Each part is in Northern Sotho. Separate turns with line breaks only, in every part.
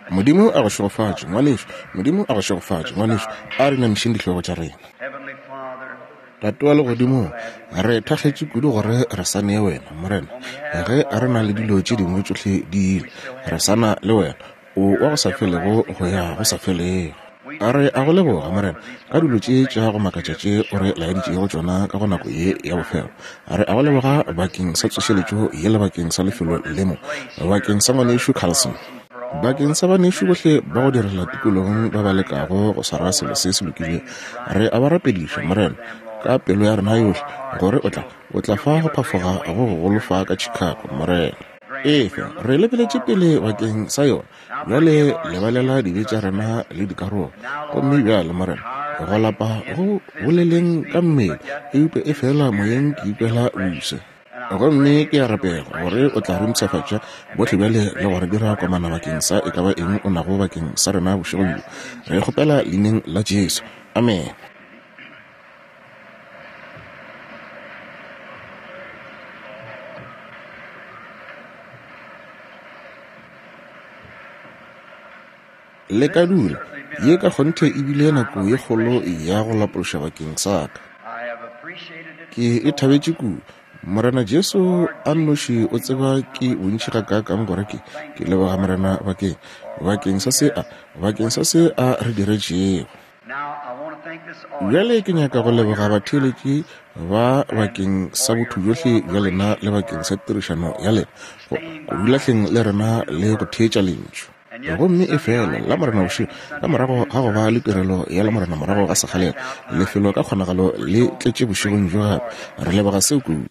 Modimo a go šegofatše, ngwanešu. Modimo a go šegofatše, ngwanešu. A re inamišeng dihlogo tša rena. Tate wa Legodimong, re thakgetše kudu gore re sa nee Wena, Morena, ge re na le dilo tše dingwe tšohle di ile, re sa na le Wena. O wa go sa felego go ya go sa felego. A re a go leboga, Morena, ka dilo tše tša go makatša tše o re laeditšego tšona ka go nako ye ya bofelo. A re a go leboga bakeng sa tsošeletšo ye le bakeng sa lefelo le mo, bakeng sa Ngwanešu Carlson, bakeng sa banešu bohle ba go direla tikologong ba ba lekago go swara selo se se lokilego. Re a ba rapediša, Morena, ka pelo ya rena yohle, gore o tla, o tla fa go phafoga go gogolo fa ka Chicago, Morena. Efe, re lebeletše pele bakeng sa yona. Bjale lebalela dibe tša rena le dikarogo. Gomme bjale, Morena, go lapa go boleleng ka mmele, eupša efela moyeng ke ikwela bose. Gomme ke a rapela gore o tla re mpshafatša bohle bjale le go re dira komana bakeng sa e ka ba eng o nago bakeng sa rena bošegong bjo. Re e kgopela Leineng la Jesu. Amene. Le ka dula. Ye ka kgonthe e bile nako ye kgolo ya go lapološa bakeng sa ka. Ke e thabetše kudu. Morena Jesu a nnoši o tseba ke bontši gakaakang gore ke, ke leboga Morena bakeng, bakeng sa se a, bakeng sa se a re diretšego. Bjale ke nyaka go leboga batheeletši ba bakeng sa botho bjohle bja lena le bakeng sa tirišano ya lena go dula hleng le rena le go theetša lentšu. Gomme efela Lamorena bošego, ka morago ga go ba le tirelo ya Lamorena morago ga sekgalela, lefelo ka kgonagalo le tletše bošegong bjo gape. Re leboga seo kudu.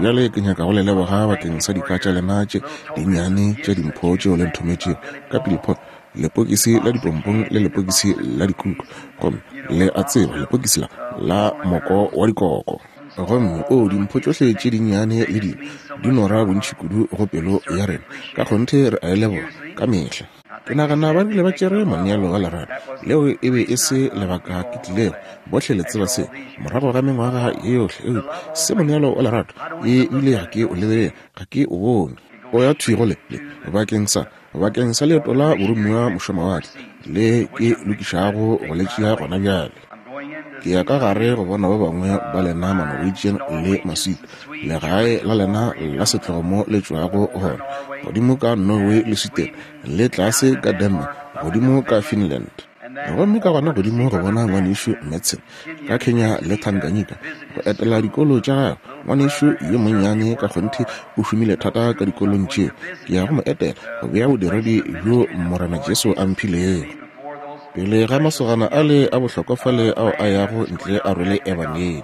Bjale ke nyaka go le leboga bakeng sa dika tša lena tše dinnyane tša dimpho tšeo le nthometšego ka Pilipot. lepokisi la dipompong le lepokisi la dikuku gomme le a tseba lepokisi la la moko wa dikoko gomme o oh, dimpho tšohle tše dinnyane le dilo di nora bontši kudu go pelo ya rena ka kgonthe re a e leboga ka mehla ke nagana ba rile ba tšere moneelo wa lerato leo e be e se lebaka ke tlilego bohle le tseba se morago ga mengwaga ye yohle eupša se moneelo wa lerato e bile ga ke o lebelele ga ke o bone o ya thwi go le bakeng sa Bakeng sa leeto la boromiwa mošomawatle le ke lokišago go le tšea gona bjale. Ke ya ka gare go bona ba bangwe ba lena Manorwegian le Maswiti, legae la lena la setlogo mo le tšwago gona, godimo ka Norway le Sweden, le tlase ka Denmark, godimo ka Finland. Gomme ka gona godimo go bona Ngwanešu Madsen, ka Kenya le Tanganyika, go etela dikolo tša gagwe. Ngwanešu yo monnyane ka kgonthe o šomile thata ka dikolong tšeo. Ke ya go mo etela, go bea bodiredi bjo Morena Jesu a mphilego. Pele ga masogana ale a bohlokwa fale ao a yago ntle a rwele Ebangedi.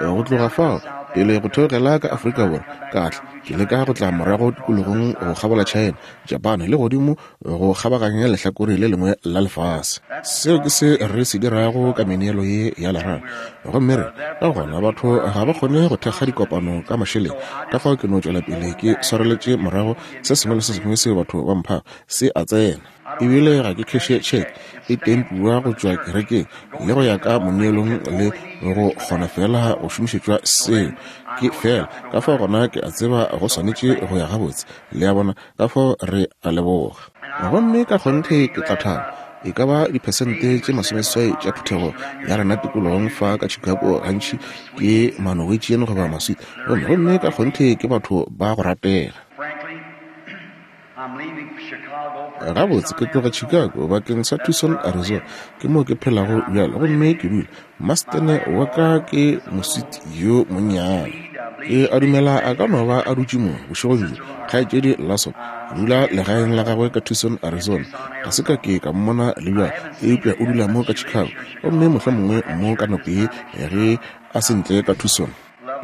Go tloga fao, pele go theogela ka Afrika Borwa, ka tla, ke leka go tla morago tikologong go kgabola China, Japan, le godimo go kgabaganya lehlakore le lengwe la lefase. Seo ke se re se dirago ka meneelo ye ya lerato. Gomme re, ka gona, batho ga ba kgone go thekga dikopano ka mašeleng, ka fao ke no tšwela pele ke swareletše morago se sengwe le se sengwe seo batho ba mphago, se a tsena. Ebile ga ke kheše tšheke e tempiwa go tšwa kerekeng le go ya ka moneelong le go kgona feela go šomišetšwa seo. Ke feela ka fao gona ke a tseba go swanetše go ya gabotse. Le a bona? Ka fao re a leboga. Gomme ka kgonthe ke tla thaba e ka ba diphesente tše masomeseswai tša phuthego ya rena tikologong fa ka Chicago gantši ke Manorwegian goba Maswiti, gomme, gomme ka kgonthe ke batho ba go ratega. Gabotse, ke tloga Chicago bakeng sa Tucson, Arizona. Ke moo ke phelago bjale, gomme ke dula. Mastene wa ka ke moswiti yo monnyane. Ke a dumela a ka no ba a dutše mo bošegong bjo, Kgaetšedi Larson. O dula legaeng la gagwe ka Tucson, Arizona. Ga se ka ke ka mmona le bjale, eupša o dula mo ka Chicago, gomme mohlomongwe mo ka nako ye ge a se ntle ka Tucson.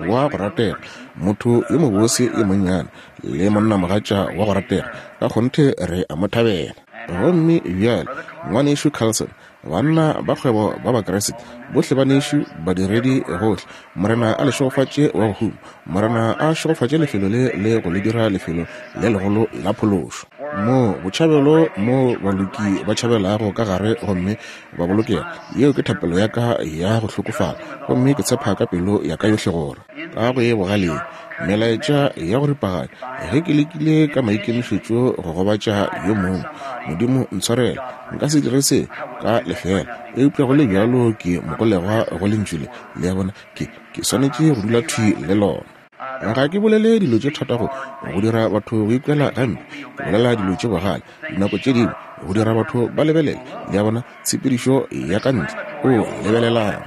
wa go ratega, motho yo mobose yo monnyane, le monnamogatša wa go ratega, ka kgonthe re a mo thabela. Gomme bjale, Ngwanešu Carlson, banna ba kgwebo ba Bakriste, bohle banešu, badiredi gohle, Morena a le šegofatše wa go huma. Morena a šegofatše lefelo le le go le dira lefelo le legolo la phološo. Moo botšhabelo, moo baloki ba tšhabelago ka gare gomme ba bolokega. Yeo ke thapelo ya ka ya go hlokofala, gomme ke tshepa ka pelo ya ka yohle gore ka go ye bogaleng Melaetša ya go ripaganya, ge ke lekile ka maikemišetšo go gobatša yo mongwe, Modimo ntshwarele, nka se dire se ka lefeela. Eupša go le bjalo ke mogolegwa go Lentšu le, le a bona, ke, ke swanetše go dula thwi le lona. Ga ke bolele dilo tše thata go, go dira batho go ikwela gampe, ke bolela dilo tše bogale dinako tše dingwe go dira batho ba lebelele, le a bona, tshepedišo ya ka ntle. O lebelelang,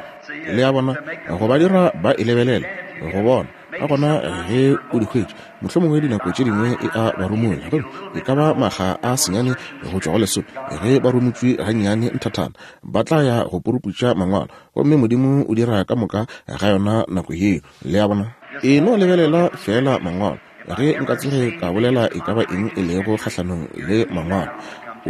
le a bona, go ba dira ba e lebelele, go bona. Ka gona ge o di hwetša, mohlomongwe dinako tše dingwe e a ba rumola, gomme e ka ba makga a senyane go tšwa go lesome, ge ba rumotšwe gannyane nthathana, ba tla ya go puruputša Mangwalo, gomme Modimo o dira ka moka ga yona nako yeo. Le a bona? E no lebelela feela Mangwalo. Ge nka tsoge ka bolela e ka ba eng e lego kgahlanong le Mangwalo,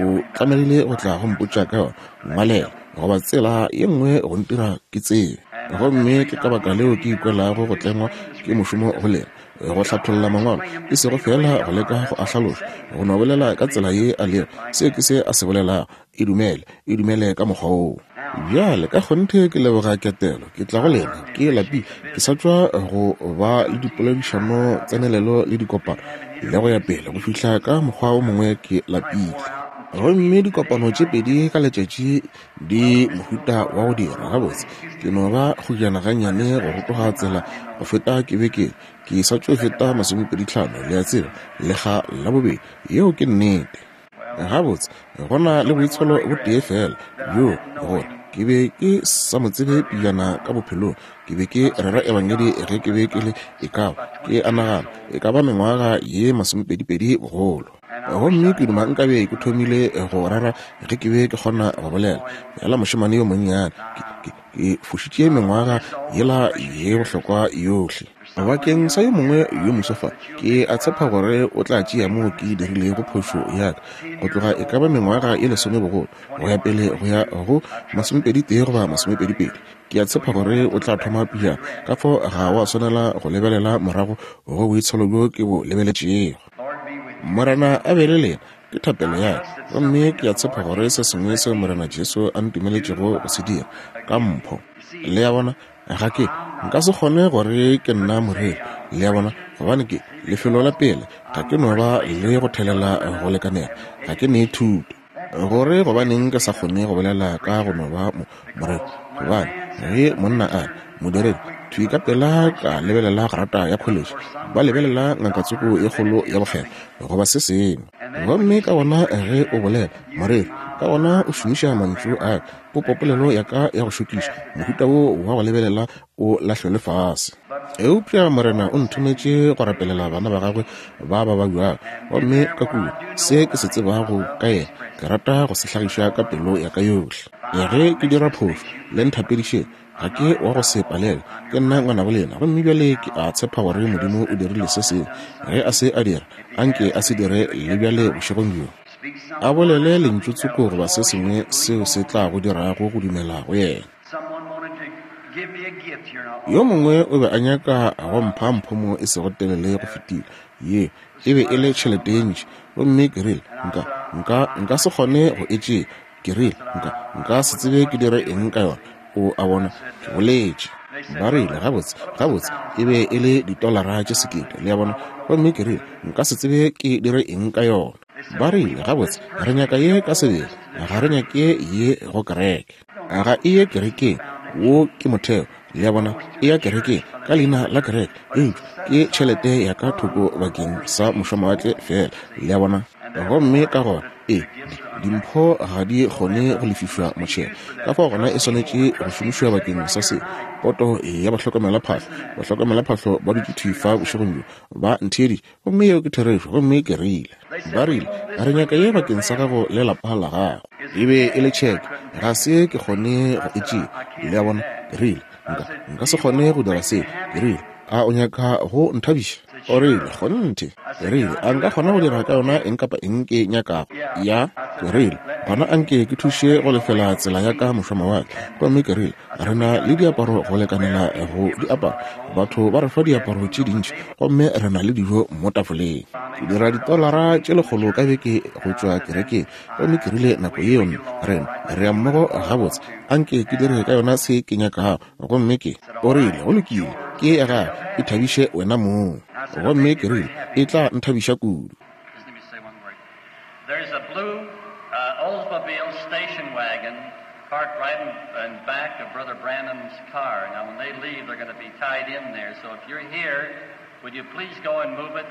o tlamegile go tla go mpotša ka yona, ngwalela, goba tsela ye nngwe go ntira ke tsebe. Gomme ke ka baka leo ke ikwelago go tlengwa ke mošomo go lena, go hlatholla Mangwalo, e sego feela go leka go a hlaloša, go no bolela ka tsela ye a lego, se ke se a se bolelago, e dumele, e dumele ka mokgwa woo. Bjale, ka kgonthe ke leboga ketelo. Ke tla go lena, ke lapile, ke sa tšwa go ba le dipoledišano, tsenelelo le dikopano, le go ya pele, go fihla ka mokgwa wo mongwe ke lapile. Gomme dikopano tše pedi ka letšatši di mohuta wa go dira gabotse. Ke no ba kgojana gannyane go rotoga tsela go feta ke be ke ke sa tšo feta masomepeditlhano, le a tseba, lekga la bobedi. Yeo ke nnete. Gabotse, go na le boitsholo bo tee feela bjo gore ke be ke sa mo tsebe pejana ka bophelong. Ke be ke rera ebangedi ge ke be ke le e ka ba, ke a nagana, e ka ba mengwaga ye masomepedipedi bogolo. Gomme ke duma nkabe ke thomile go rera ge ke be ke kgona go bolela, feela mošemane yo monnyane. Ke, ke, ke fošitše mengwaga yela ye bohlokwa yohle. Bakeng sa yo mongwe yo moswa fa, ke a tshepa gore o tla tšea moo ke dirilego phošo ya ka, go tloga e ka ba mengwaga ye lesome bogolo, go ya pele go ya go masomepedi-tee goba masomepedi-pedi. Ke a tshepa gore o tla thoma pejana, ka fao ga wa swanela go lebelela morago go boitsholo bjo ke bo lebeletšego. Morena a be le lena, ke thapelo ya ka. Gomme ke a tshepa gore se sengwe seo Morena Jesu a ntumeletšego go se dira, ka mpho. Le a bona? Ga ke, nka se kgone gore ke nna moreri, le a bona, gobane ke, lefelo la pele, ga ke no ba le go thelela go lekanela, ga ke ne thuto. Gore gobaneng ke sa kgone go bolela ka go no ba mo, moreri, gobane ge monna a re, modiredi, thwi ka pela ka lebelela grata ya kholetše, ba lebelela ngakatsoko ye kgolo ya bokgethwa, goba se sengwe. Gomme ka gona ge o bolela, moreri, ka gona o šomiša mantšu a ka, popopolelo ya ka ya go šokiša, mohuta wo wa go lebelela o lahlelwe fase. Eupša Morena o nthometše go rapelela bana ba gagwe ba ba babjago, gomme ka kua, se ke se tsebago ka yena, ke rata go se hlagiša ka pelo ya ka yohle. Ge ke dira phošo, le nthapedišeng. Ga ke wa go se palelwe, ke nna ngwanabo lena. Gomme bjale ke a tshepa gore Modimo o dirile se sengwe. Ge a se a dira, anke a se dire le bjale bošegong bjo. A bolele lentšu tsoko goba se sengwe seo se tla go dirago go dumela go yena. Yo mongwe o be a nyaka go mpha mpho mo e sego telele go fetile. Ye e be e le tšhelete ye ntši. Gomme ke rile, Nka, nka, nka se kgone go e tšea. Ke rile, Nka, nka se tsebe ke dire eng ka yona. O a bona, ke boletše. Ba rile, Gabotse, gabotse, e be e le ditolara tše sekete, le a bona. Gomme ke rile, Nka se tsebe ke dire eng ka yona. Ba rile, Gabotse, re nyaka ye ka sebele, ga re nyake ye go kereke. Ga e ye kerekeng, wo ke motheo, le a bona, e ya kerekeng ka leina la kereke, eupša ke tšhelete ya ka thoko bakeng sa mošwamawatle feela, le a bona. Gomme ka gona, e, di, dimpho ga di kgone go lefišwa motšhelo, ka fao gona e swanetše go šomišwa bakeng sa se. Poto ya bahlokomelaphahlo, bahlokomelaphahlo ba dutše thwi fa bošegong bjo, ba ntheeditše, gomme yeo ke therešo, gomme ke rile. Ba rile, Re nyaka ye bakeng sa gago le lapa la gago. E be e le tšheke, ga se ke kgone go e tšea, le a bona. Ke rile, Nka, nka se kgone go dira seo. Ke rile, A o nyaka go nthabiša? O rile, Kgonthe. Ke rile, A nka kgona go dira ka yona eng kapa eng ke nyakago? Ya. Ke rile, Gona anke ke thuše go lefela tsela ya ka mošwamawatle. Gomme ke rile, Re na le diaparo go lekanela go di apara. Batho ba re fa diaparo tše dintši, gomme re na le dijo mo tafoleng. Ke dira ditolara tše lekgolo ka beke go tšwa kerekeng. Gomme ke rile, Nako yeo rena re ya mmogo gabotse. Anke ke dire ka yona se ke nyakago. Gomme ke. O rile, Go lokile, ke ya gago. Ithabiše wena mong. Gomme ke rile, E tla nthabiša kudu.
There's a blue Oldsmobile station wagon parked right in back of Brother Branham's car. Now, when they leave, they're going to be tied in there. So if you're here, would you please go and move it?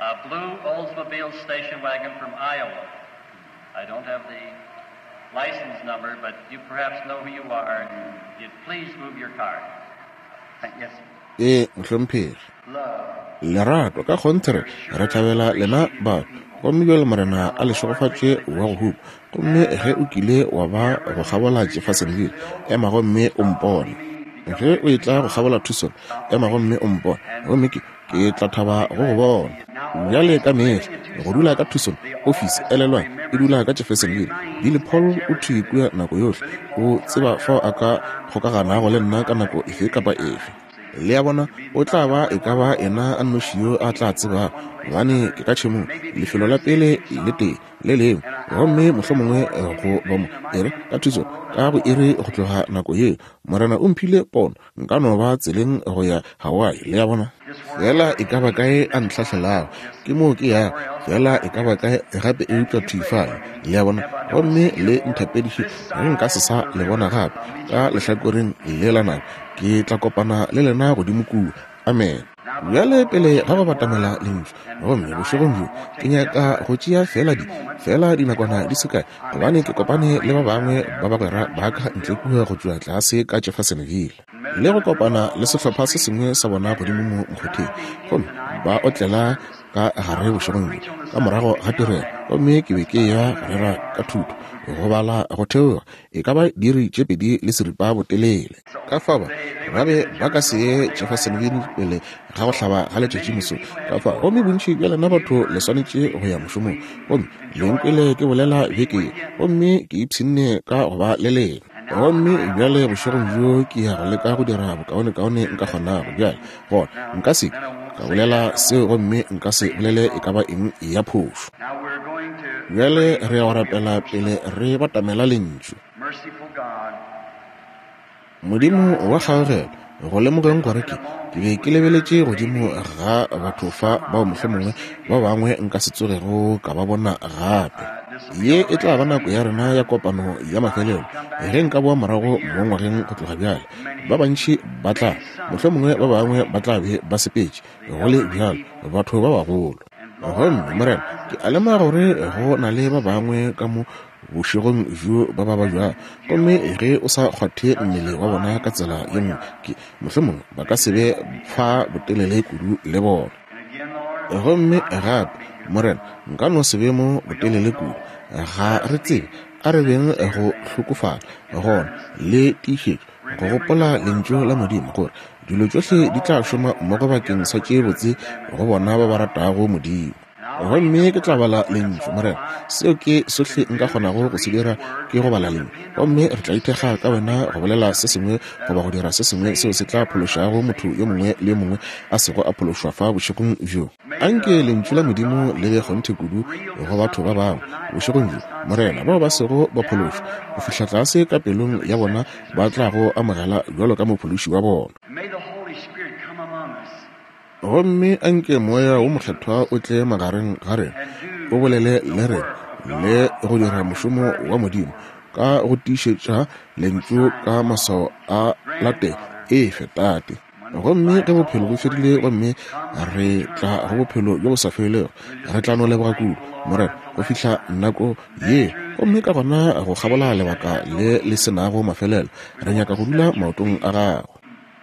A blue Oldsmobile station wagon from Iowa. I don't have the license number, but you perhaps know who you are. And you'd please move your car. Yes.
Ee, mohlomphegi. Lerato, ka kgonthe re, re thabela lena batho. Gomme bjale Morena a le šegofatše wa go hupa. Gomme ge o kile wa ba go kgabola Jeffersonville, ema gomme o mpone. Ge o etla go kgabola Tucson, ema gomme o mpone. Gomme ke, ke tla thaba go go bona. Bjale ka mehla, go dula ka Tucson, ofisi, elelwang, e dula ka Jeffersonville. Billy Paul o thwi kua nako yohle. O tseba fao a ka kgokaganago le nna ka nako efe kapa efe. Le a bona, o tla ba e ka ba yena a nnoši yo a tla tsebago, gobane ke ka tšhemong, lefelo la pele le tee le lengwe, gomme mohlomongwe go ba mo, e re, ka Tucson, ka go iri go tloga nako yeo. Morena o mphile pono, nka no ba tseleng go ya Hawaii, le a bona. Feela e ka ba kae a ntlhahlelago, ke moo ke yago, feela e ka ba kae gape eupša thwi fale, le a bona. Gomme le nthapediše ge nka se sa le bona gape, ka lehlakoreng le la nako, ke tla kopana le lena godimo kua. Amene. Bjale pele ga go batamela Lentšu, gomme bošegong bjo ke nyaka go tšea feela di, feela dinakwana di se kae, gobane ke kopane le ba bangwe ba bagwera ba ka ntle kua go tšwa tlase ka Jeffersonville, le go kopana le sehlopha se sengwe sa bona godimo mo mokgotheng, gomme ba otlela ka gare bošegong bjo ka morago ga tirelo, gomme ke be ke eya go rera ka thuto, go bala go theoga e ka ba diiri tše 2 36 botelele. Ka fao ba, ba be ba ka se ye Jeffersonville pele ga go hlaba ga letšatši mosong. Ka fao, gomme bontši bja lena batho le swanetše go ya mošomong. Gomme le nkwele ke bolela beke ye, gomme ke ipshinne ka go ba le lena. Gomme bjale bošegong bjo ke ya go leka go dira bokaonekaone nka kgonago. Bjale, gona, nka se ke ka bolela seo gomme nka se bolele e ka ba eng ya phošo. Bjale re ya go rapela pele re batamela Lentšu. Modimo wa kgaogelo, go lemogeng gore ke, ke be ke lebeletše godimo ga batho fa bao mohlomongwe ba bangwe nka se tsogego ka ba bona gape. Ye e tla ba nako ya rena ya kopano ya mafelelo ge nka boa morago mo ngwageng go tloga bjale. Ba bantši ba tla, mohlomongwe ba bangwe ba tla be ba sepetše, go le bjalo, batho ba bagolo. Gomme, Morena, ke a lemoga gore go na le ba bangwe ka mo bošegong bjo ba ba babjago, gomme ge o sa kgwathe mmele wa bona ka tsela ye nngwe, ke, mohlomongwe ba ka se be fa botelele kudu le bona. Gomme gape, Morena, nka no se be mo botelele kudu. Ga re tsebe. A re beng go hlokofala gona le tiišetšo, go gopola Lentšu la Modimo, gore dilo tšohle di tla šoma mmogo bakeng sa tše botse go bona ba ba ratago Modimo. Gomme ke tla bala Lentšu, Morena. Seo ke sohle nka kgonago go se dira, ke go bala Lentšu. Gomme re tla ithekga ka Wena go bolela se sengwe goba go dira se sengwe seo se tla phološago motho yo mongwe le yo mongwe a sego a phološwa fa bošegong bjo. Anke Lentšu la Modimo le be kgonthe kudu go batho ba bangwe bošegong bjo, Morena, bao ba sego ba phološwa, go fihla tlase ka pelong ya bona ba tla go amogela bjalo ka Mophološi wa bona. Gomme anke Moya wo Mokgethwa o tle magareng ga rena, o bolele le rena, le go dira mošomo wa Modimo ka go tiišetša Lentšu ka maswao a latela. Efe, Tate. Gomme ge bophelo bo fedile gomme re tla go bophelo bjo bo sa felego, re tla no leboga kudu, Morena, go fihla nako ye. Gomme ka gona go kgabola lebaka le le se nago mafelelo, re nyaka go dula maotong a Gago,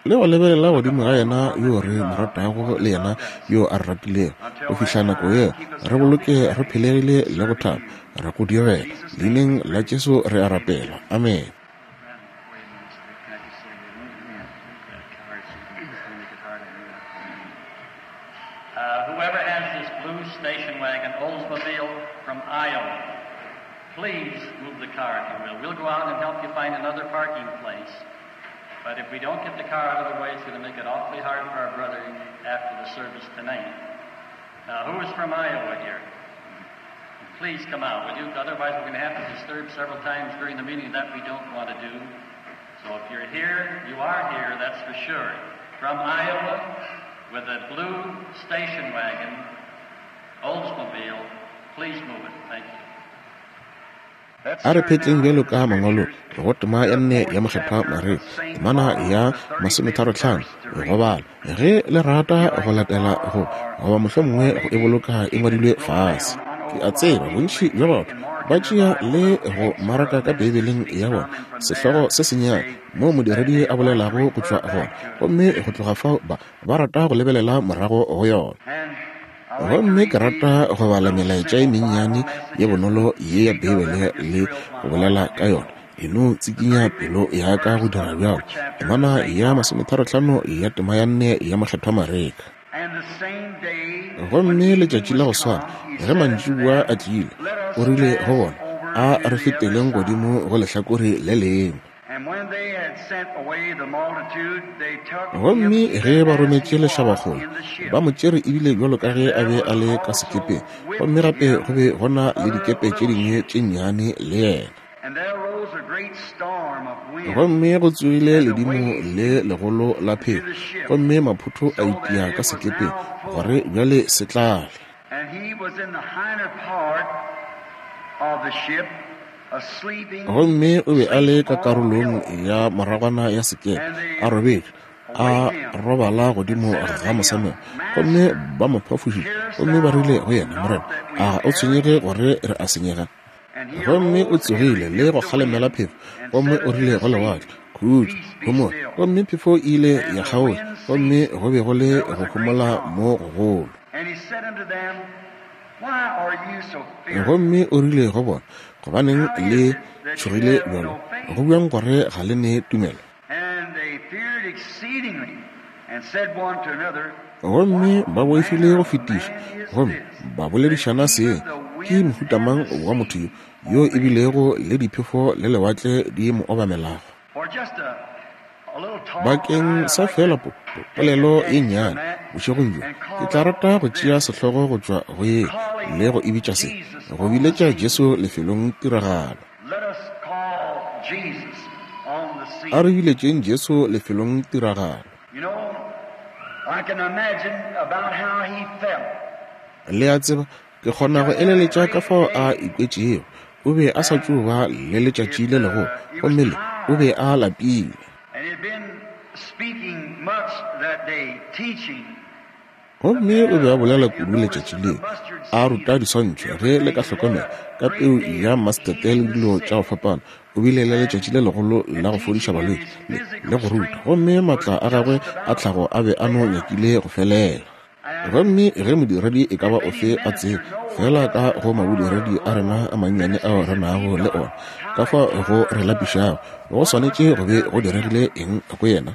le go lebelela godimo ga Yena yo re mo ratago le Yena yo a re ratilego. Go fihla nako yeo, re boloke re phelegile le go thaba, re go direla. Leineng la Jesu re a rapela. Amene.
Whoever has this blue station wagon, Oldsmobile from Iowa, please move the car if you will. We'll go out and help you find another parking place. But if we don't get the car out of the way, it's going to make it awfully hard for our brother after the service tonight. Now, who is from Iowa here? Please come out, will you? Otherwise, we're going to have to disturb several times during the meeting. That we don't want to do. So if you're here, you are here, that's for sure. From Iowa, with a blue station wagon, Oldsmobile, please move it. Thank you.
A re phetleng bjalo ka mangwalo go tema ya nne ya Mokgethwa Mareka, temana ya 35, go bala, ge le rata go latela go, goba mohlomongwe go e boloka e ngwadilwe fase. Ke a tseba bontši bja batho ba tšea le go maraka ka Beibeleng ya bona sehlogo se sennyane moo modiredi a bolelago go tšwa gona, gomme go tloga fao ba, ba rata go lebelela morago go yona. Gomme ke rata go bala melaetša e mennyane ye bonolo ye ya Beibele le go bolela ka yona. E no tsikinya pelo ya ka go dira bjalo. Temana ya 35 ya tema ya nne ya Mokgethwa Mareka. Gomme letšatši la go swana, ge mantšiboa a tlile, o rile go bona, A re feteleng godimo go lehlakore le lengwe. Gomme ge ba rometše lešabakgole, ba mo tšere ebile bjalo ka ge a be a le ka sekepeng, gomme gape go be go na le dikepe tše dingwe tše nnyane le yena. Gomme go tsogile ledimo le legolo la phefo, gomme maphotho a itia ka sekepeng, gore bjale se tlale. Gomme o be a le ka karolong ya moragwana ya sekepe, a robetše, a robala godimo ga mosamelo. Gomme ba mo phafošitše, gomme ba rile go yena, Morena, a ga o tshwenyege gore re a senyega? Gomme o tsogile le go kgalemela phefo, gomme o rile go lewatle, Khutšo, homola. Gomme phefo e ile ya kgaotša, gomme go be go le go homola mo gogolo. Gomme o rile go bona, Gobaneng le tšhogile bjalo? Go bjang gore ga le ne tumelo? Gomme ba boifile go fetiša, gomme ba boledišana seng, Ke mohuta mang wa motho yo, yo e bilego le diphefo le lewatle di mo obamelago? Bakeng sa feela po, po, polelo ye nnyane bošegong bjo, ke tla rata go tšea sehlogo go tšwa go ye le go e bitša se, Go biletša Jesu lefelong tiragalo. A re biletšeng Jesu lefelong tiragalo. Le a tseba, ke kgona go eleletša ka fao a ikwetšego. O be a sa tšo ba le letšatši le legolo, gomme le, o be a lapile. Gomme o be a bolela kudu letšatši leo, a ruta diswantšho, ge le ka hlokomela, ka peu ya mastete le dilo tša go fapana. O bile le letšatši le legolo la go fodiša balwetši le, le go ruta, gomme maatla a gagwe a tlhago a be a no nyakile go felela. Gomme ge modiredi e ka ba ofe a tseba, feela ka go mabodiredi a rena a mannyane ao re nago le ona, ka fa go re lapišago, go swanetše go be go diregile eng go yena?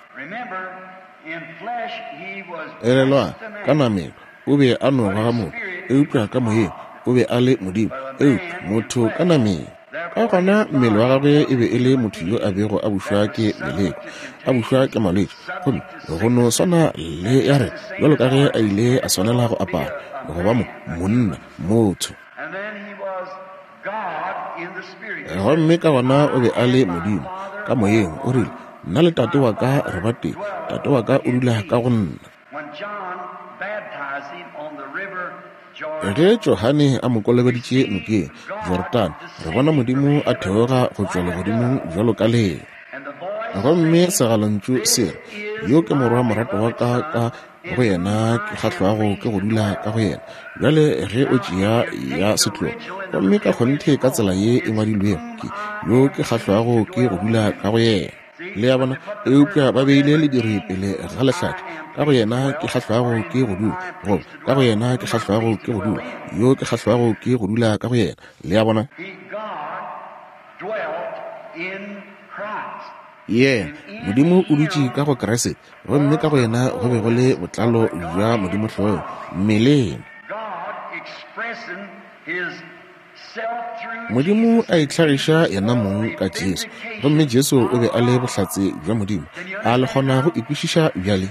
Elelwang, ka nameng o be a no ba motho, eupša ka moyeng o be a le Modimo, eupša motho ka nameng. Ka gona mmele wa gagwe e be e le motho yo a bego a bušwa ke meleko, a bušwa ke malwetši, gomme go no swana le ya rena, bjalo ka ge a ile a swanela go apara go ba mo, monna, motho. Gomme ka gona o be a le Modimo ka moyeng, o rile, Nna le Tate wa ka re ba tee, Tate wa ka o dula ka go nna. Ge Johane a mo kolobeditše nokeng Jorodane, re bona Modimo a theoga go tšwa legodimong bjalo ka lee. Gomme segalontšu se re, Yo ke Morwa moratwa wa ka, ka go yena ke kgahlwago ke go dula ka go yena. Bjale ge o tšea ya setlogo, gomme ka kgonthe ka tsela ye e ngwadilwego ke, Yo ke kgahlwago ke go dula ka go yena. Le a bona? Eupša ba beile lediri pele ga lehlaka, ka go yena ke kgahlwago ke go dula, goba ka go yena ke kgahlwago ke go dula, yo ke kgahlwago ke go dula ka go yena. Le a bona? Yena, Modimo o dutše ka go Kriste, gomme ka go yena go be go le botlalo bja Modimo hlogo mmeleng. Modimo a itlhagiša yena mong ka Jesu, gomme Jesu o be a le bohlatse bja Modimo. A le kgona go e kwešiša bjale?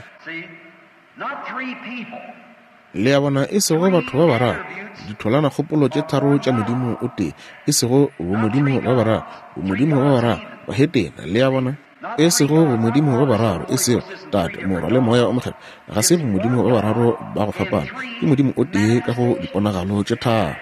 Le a bona, e sego batho ba bararo, ditholanakgopolo tše tharo tša Modimo o tee, e sego bomodimo ba bararo, bomodimo ba bararo, bahetena, le a bona. E sego bomodimo ba bararo, e sego Tate, Morwa, le Moya o Mokgethwa, ga se bomodimo ba bararo ba go fapana, ke Modimo o tee ka go diponagalo tše tharo.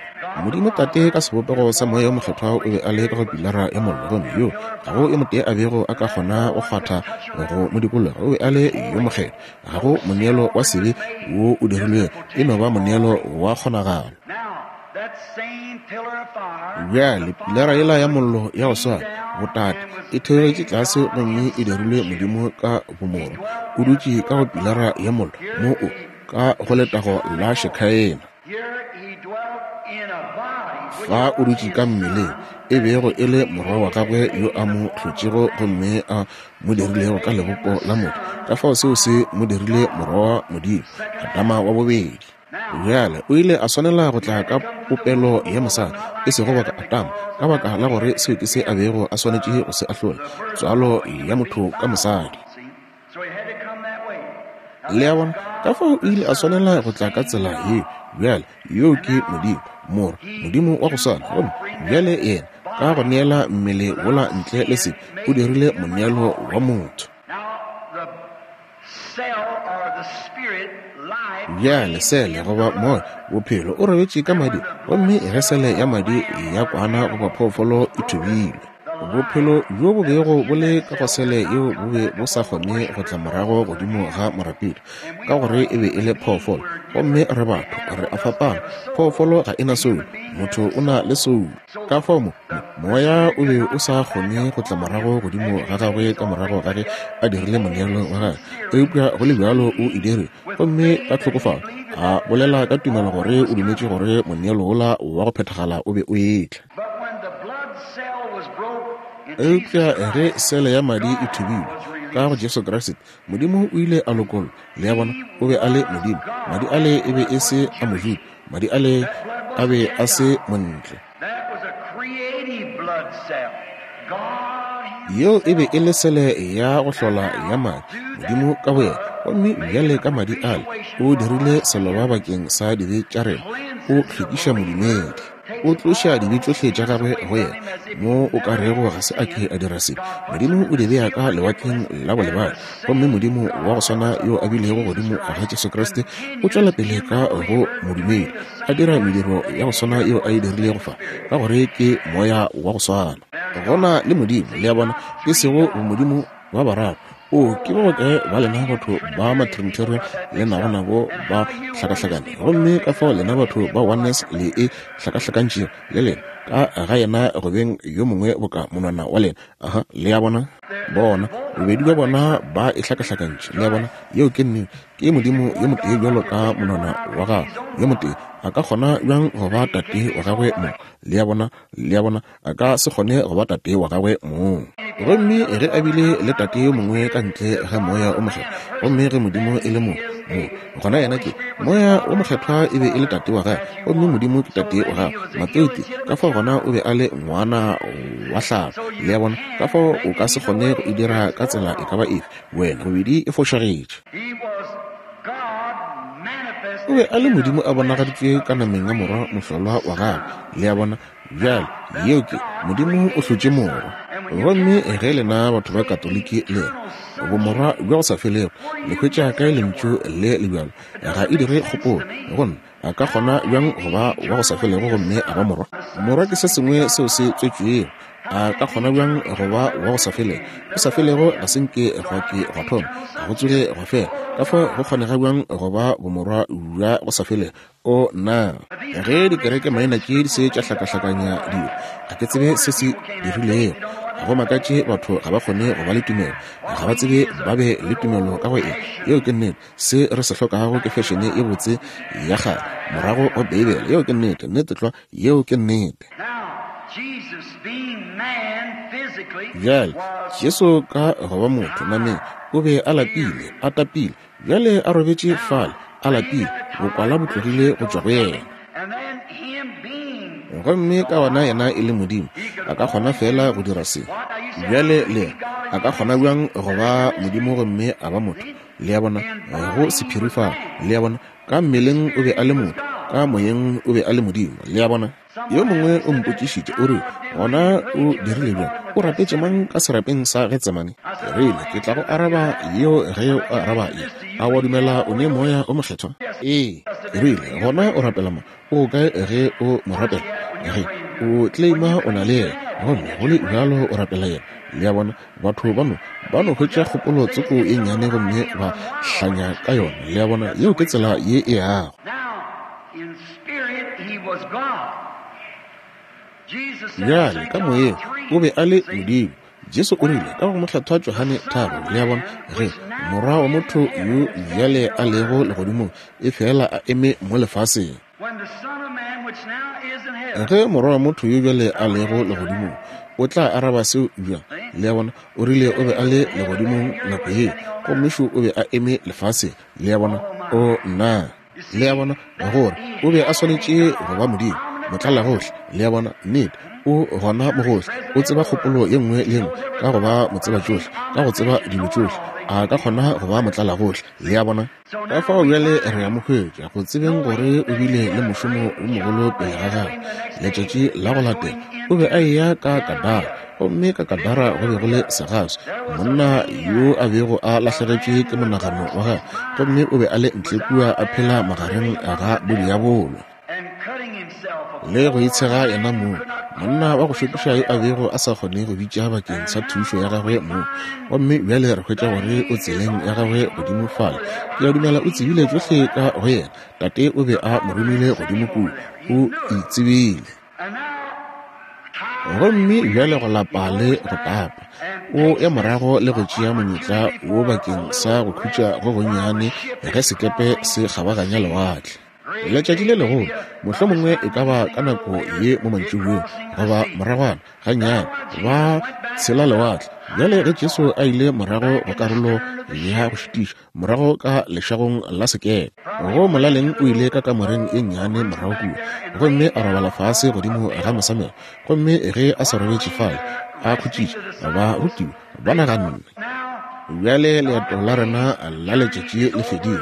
Modimo Tate ka sebopego sa Moya o Mokgethwa o be a le ka go Pilara ya Mollo, gomme yo ga go yo motee a bego a ka kgona go kgwatha go mo dikologa. O be a le yo mokgethwa. Ga go moneelo wa sebe wo o dirilwego, e no ba moneelo wa kgonagalo. Bjale, Pilara yela ya Mollo ya go swana, botate, e theogetše tlase gomme e dirilwe Modimo ka Bomorwa. O dutše ka go Pilara ya Mollo, mo o, ka go letago la Shekhaena. Fa o dutše ka mmeleng, e bego e le Morwa wa Gagwe yo a mo hlotšego gomme a mo dirilego ka lebopo la motho. Ka fao seo se mo dirile Morwa wa Modimo, Adama wa bobedi. Bjale, o ile a swanela go tla ka popelo ya mosadi, e sego boka Adama, ka baka la gore seo ke se a bego a swanetše go se ahlola, tswalo ya motho ka mosadi. Le a bona? Ka fao o ile a swanela go tla ka tsela yeo. Bjale, yoo ke Modimo, Morwa, Modimo wa go swana. Gomme bjale Yena, ka go neela mmele wola ntle le sebe, o dirile moneelo wa motho. Bjale sele, goba moya, bophelo, o robetše ka mading, gomme ge sele ya madi ya kwana goba phoofolo e thubilwe, bophelo bjo bo bego bo le ka go sele yeo bo be bo sa kgone go tla morago godimo ga morapedi, ka gore e be e le phoofolo. Gomme re batho, re a fapana. Phoofolo ga e na soulo, motho o na le soulo. Ka fao mo, moya o be o sa kgone go tla morago godimo ga gagwe ka morago ga ge a dirile moneelo wa gagwe, eupša go le bjalo o e dirile, gomme ka tlhokofalo a bolela ka tumelo gore o dumetše gore moneelo wola wa go phethagala o be o etla. Eupša ge sele ya madi e thubilwe ka go Jesu Kriste, Modimo o ile a lokollwa. Le a bona, o be a le Modimo. Madi ale e be e se a Mojuda, madi ale a be a se montle. Yeo e be e le sele ya go hlola ya madi, Modimo ka boyena. Gomme bjale ka madi ale, o dirile seloba bakeng sa dibe tša rena, o hlwekiša modumedi. O tloša dibe tšohle tša gagwe go yena, mo o ka rego ga se a ke a dira sebe. Modimo o di bea ka lewatleng la bolebadi. Gomme Modimo wa go swana yo a bilego godimo ga Jesu Kriste o tšwela pele ka go modumedi, a dira mediro ya go swana yeo a e dirilego fa, ka gore ke Moya wa go swana. Gona le Modimo, le a bona, e sego bomodimo ba bararo. O, ke ba bakae ba lena batho ba Matrinitarian le nago nabo ba hlakahlakane, gomme ka fao lena batho ba Oneness le e hlakahlakantšego le lena, ka ga yena go beng yo mongwe boka monwana wa lena. Aha, le a bona? Bona, bobedi bja bona ba e hlakahlakantše. Le a bona? Yeo ke nnete. Ke Modimo yo motee bjalo ka monwana wa gago yo motee. A ka kgona bjang go ba Tate wa gagwe mong? Le a bona? Le a bona? A ka se kgone go ba Tate wa gagwe mong. Gomme ge a bile le Tate yo mongwe ka ntle ga Moya o Mokgethwa, gomme ge Modimo e le mo, mo, gona yena ke Moya wo Mokgethwa e be e le Tate wa gagwe, gomme Modimo ke Tate wa gagwe. Mateo ke, ka fao gona o be a le ngwana wa hlago. Le a bona? Ka fao o ka se kgone go e dira ka tsela e ka ba efe, wena, bobedi e fošagetše. O be a le Modimo a bonagaditšwe ka nameng ya Morwa mohlolwa wa gagwe. Le a bona? Bjale, yeo ke, Modimo o hlotše Morwa. Gomme ge lena batho ba Katoliki le re, Bomorwa bja go sa felego, le hwetša kae lentšu le le bjalo? Ga e dire kgopolo go nna. A ka kgona bjang go ba wa go sa felego gomme a ba morwa? Morwa ke se sengwe seo se tswetšwego. A ka kgona bjang go ba wa go sa felego? Go sa felego ga se nke gwa ke gwa thoma, ga go tsoge gwa fela. Ka fao go kgonega bjang go ba bomorwa bja go sa felego? O na ge dikereke maina tše di se tša hlakahlakanya dilo, ga ke tsebe se se dirilego. Ga go makatše batho ga ba kgone go ba le tumelo, ga ba tsebe ba be le tumelo ka go eng. Yeo ke nnete. Se re se hlokago ke fešene ye botse ya kgale morago go Beibele. Yeo ke nnete, nnete tlwa, yeo ke nnete. Bjale, Jesu ka go ba motho nameng, o be a lapile, a tapile, bjale a robetše fale, a lapile, bokwala bo tlogile go tšwa go yena. Gomme ka gona yena e le Modimo, a ka kgona feela go dira se. Bjale le re, A ka kgona bjang go ba Modimo gomme a ba motho? Le a bona, go sephiri fao. Le a bona, ka mmeleng o be a le motho. Ka moyeng o be a le Modimo. Le a bona? Yo mongwe o mpotšišitše, o rile, Gona o dirile bjang? O rapetše mang ka serapeng sa Getsemane? Ke rile, Ke tla go araba yeo ge o araba ye. A wa dumela o ne Moya o Mokgethwa? Ee. Ke rile, Gona o rapela mang? O kae ge o mo rapela? Ge o claima o na le yena, gomme go le bjalo o rapela yena. Le a bona, batho ba no, ba no hwetša kgopolo tsoko ye nnyane gomme ba hlanya ka yona. Le a bona, yeo ke tsela ye e yago. Bjale, ka moyeng, o be a le Modimo. Jesu o rile, ka go Mohlathwa Johane 3, le a bona, ge Morwa wa motho yo bjale a lego legodimong, efela a eme mo lefaseng. Ge Morwa wa motho yo bjale a lego legodimong, o tla araba seo bjang? Le a bona, o rile o be a le legodimong nako yeo, gomme šo o be a eme lefaseng. Le a bona? O, nna! Le a bona, gore o be a swanetše go ba Modimo, motlalagohle. Le a bona? Nnete, o gona mogohle, o tseba kgopolo ye nngwe le ye nngwe, ka go ba motsebatšohle, ka go tseba dilo tšohle, a ka kgona go ba motlalagohle. Le a bona? Ka fao bjale re a mo hwetša, go tsebeng gore o bile le mošomo wo mogolo pele ga gagwe. Letšatši la go latela, o be a eya ka Gadara, gomme ka Gadara go be go le segaswi, monna yo a bego a lahlegetšwe ke monagano wa gagwe, gomme o be a le ntle kua a phela magareng ga bodiabolo le go itshega yena mong, monna wa go šokiša yo a bego a sa kgone go bitša bakeng sa thušo ya gagwe mong. Gomme bjale re hwetša gore o tseleng ya gagwe godimo fale. Ke a dumela o tsebile tšohle ka go yena. Tate o be a mo romile godimo kua. O itsebile. Gomme bjale go lapa le go tapa, o ya morago le go tšea monyetla wo bakeng sa go khutša go gonnyane ge sekepe se kgabaganya lewatle. Letšatši le legolo, mohlomongwe e ka ba ka nako ye mo mantšiboeng goba moragwana gannyane, ba tshela lewatle. Bjale ge Jesu a ile morago go karolo ya go šitiša, morago ka lešagong la sekepe, go molaleng o ile ka kamoreng e nnyane morago kua, gomme a robala fase godimo ga mosamelo. Gomme ge a sa robetše fale a khutšitše, barutiwa ba naganne, Bjale leeto la rena la letšatši le fedile,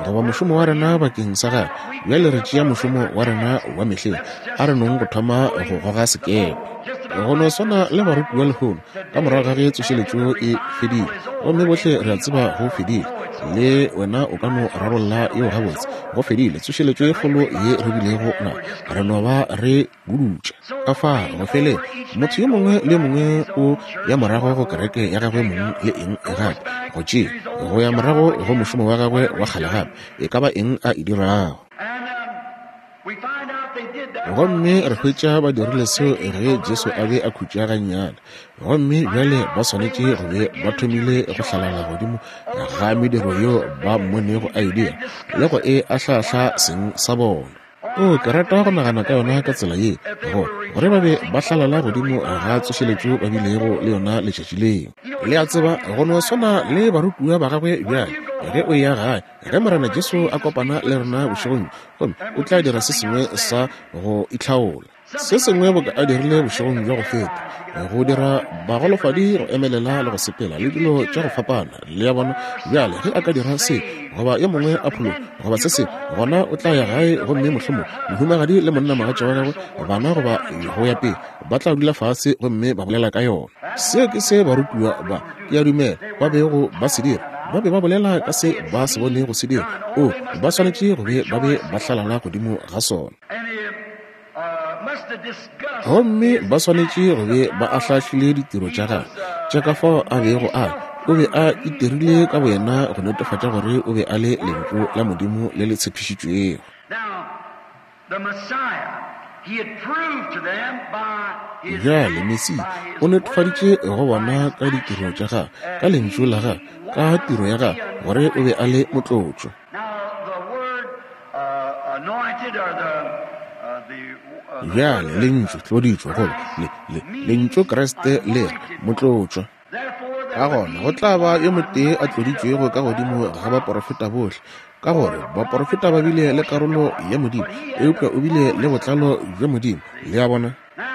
goba mošomo wa rena bakeng sa gagwe. Bjale re tšea mošomo wa rena wa mehleng, a re nong go thoma go goga sekepe. Go no swana le barutiwa lehono, ka morago ga ge tsošeletšo e fedile, gomme bohle re a tseba go fedile, le wena o ka no rarolla yeo gabotse, go fedile, tsošeletšo e kgolo ye re bilego nayo, re no ba re budutša. Ka fa go fele, motho yo mongwe le yo mongwe o ya morago go kereke ya gagwe mong le eng gape, go tšea, go ya morago go mošomo wa gagwe wa kgale gape, e ka ba eng a e dirago. Gomme re hwetša ba dirile seo ge Jesu a be a khutša gannyane. Gomme bjale ba swanetše go be ba thomile go hlalala godimo ga mediro yeo ba mmonego a e dira, le go e ahlaahla seng sa bona. O, ke rata go nagana ka yona ka tsela ye, gore, gore ba be ba hlalala godimo ga tsošeletšo ba bilego le yona letšatši leo. Le a tseba, go no swana le barutiwa ba gagwe bjale, ge o eya gae, ge Morena Jesu a kopana le rena bošegong bjo, gomme o tla dira se sengwe sa go itlhaola. Se sengwe boka a dirile bošegong bja go feta, go dira bagolofadi go emelela le go sepela, le dilo tša go fapana. Le a bona? Bjale, ge a ka dira se, goba yo mongwe a phologa, goba se sengwe, gona o tla ya gae gomme mohlomong mohumagadi le monnamogatša wa gagwe, bana goba go ya pele, ba tla dula fase gomme ba bolela ka yona. Seo ke se barutiwa ba, ke a dumela, ba bego ba se dira. Ba be ba bolela ka se ba se bonego se dira. Oo, ba swanetše go be ba be ba hlalala godimo ga sona. Gomme ba swanetše go be ba ahlaahlile ditiro tša gagwe tša ka fao a bego a o be a itirile ka boyena go netefatša gore o be a le Lentšu la Modimo le le tshepišitšwego. Bjale Mesia o netefaditše go bona ka ditiro tša gagwe, ka Lentšu la gagwe, ka tiro ya gagwe, gore o be a le Motlotšwa. Bjale, lentšu tloditšwe, goba le, le, lentšu Kriste le re, motlotšwa. Ka gona go tla ba yo motee a tloditšwego ka godimo ga baporofeta bohle, ka gore baporofeta ba bile le karolo ya Modimo, eupša o bile le botlalo bja Modimo. Le a bona?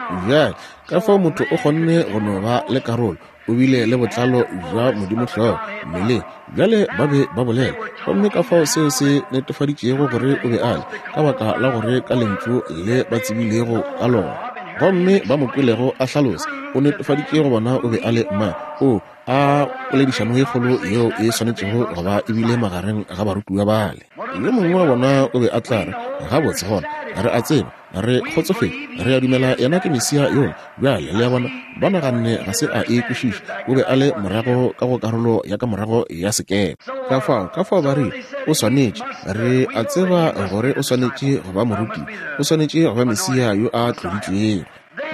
Bjale, ka fao motho o kgonne go no ba le karolo, o bile le botlalo bja Modimo hlogo mmeleng. Bjale ba be ba bolela, gomme ka fao seo se netefaditšego gore o be a le, ka baka la gore ka lentšu le ba tsebilego ka lona, gomme ba mo kwelego a hlalosa, o netefaditše go bona o be a le mang. O a poledišano e kgolo yeo e swanetšego go ba e bile magareng ga barutiwa bale. Yo mongwe wa bona o be a tla re, Gabotse, gona, re a tseba, re kgotsofetše, re a dumela yena ke Mesia yola. Bjale, le a bona, ba naganne ga se a e kwešiša. O be a le morago ka go karolo ya ka morago ya sekepe. Ka fao, ka fao ba rile, O swanetše, re a tseba gore o swanetše go ba moruti, o swanetše go ba Mesia yo a tloditšwego.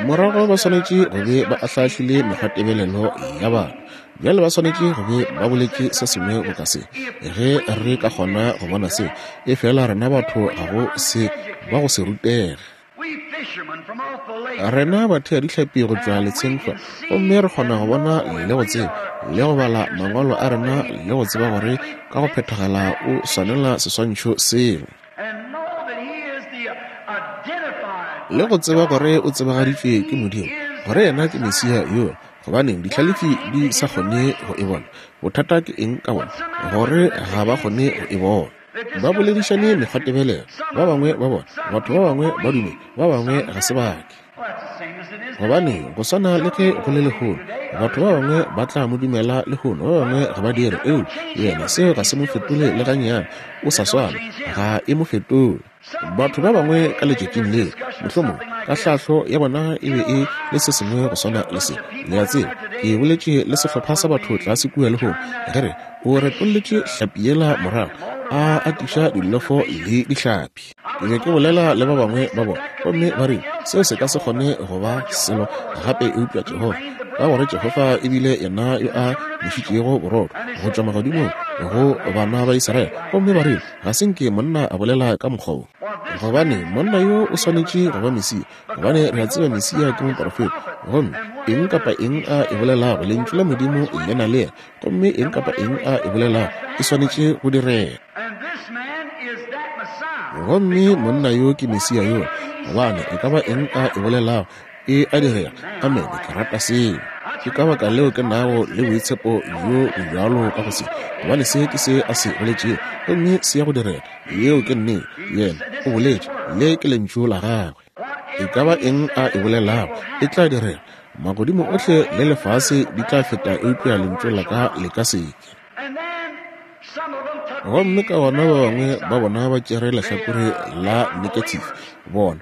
Morago ba swanetše go be ba ahlaahlile mekgwatebelelo ya batho. Bjale ba swanetše go be ba boletše se sengwe boka se, Ge re ka kgona go bona se, efela rena batho ga go se ba go se rutege. Rena batheadihlapi go tšwa letsheng hlwa, gomme re kgona go bona le go tseba, le go bala mangwalo a rena le go tseba gore ka go phethagala o swanela seswantšho seo. Le go tseba gore o tsebagaditšwe ke Modimo, gore yena ke Mesia yola. Gobaneng dihlalefi di sa kgone go e bona? Bothata ke eng ka bona? Gore ga ba kgone go e bona. Ba boledišane mekgwatebelelo, ba bangwe ba bona, batho ba bangwe ba dumela, ba bangwe ga se ba ke. Gobane go swana le ge go le lehono, batho ba bangwe ba tla mo dumela lehono, ba bangwe ga ba dire. Eupša yena seo ga se mo fetole le gannyane, o sa swana, ga e mo fetole. Batho ba bangwe ka letšatšing leo, mohlomongwe ka hlahlo ya bona e be e le se sengwe go swana le se. Le a tseba, ke boletše le sehlopha sa batho tlase kua lehono, ge re, o retolletše hlapi yela morago, a atiša dillofo le dihlapi. Ke be ke bolela le ba bangwe ba bona, gomme ba rile, Seo se ka se kgone go ba selo gape eupša Jehofa, ka gore Jehofa e bile yena yo a nešitšego borotho go tšwa magodimong go bana ba Israele. Gomme ba rile, Ga se nke monna a bolela ka mokgwa wo. Gobane monna yo o swanetše go ba Mesia, gobane re a tseba Mesia ke moporofeta. Gomme eng kapa eng a e bolelago, Lentšu la Modimo le na le yena, gomme eng kapa eng a e bolelago e swanetše go direga. Gomme monna yo ke Mesia yola, gobane e ka ba eng a e bolelago e a direga. Amene. Ke rata seo. Ke ka baka leo ke nago le boitshepo bjo bjalo ka go se, gobane se ke se a se boletšego, gomme se ya go direga. Yeo ke nnete. Yena o boletše, le ke lentšu la gagwe. E ka ba eng a e bolelago, e tla direga. Magodimo ohle le lefase di tla feta, eupša lentšu la ka le ka se ke. Gomme ka gona ba bangwe ba bona ba tšere lehlakore la negative, bona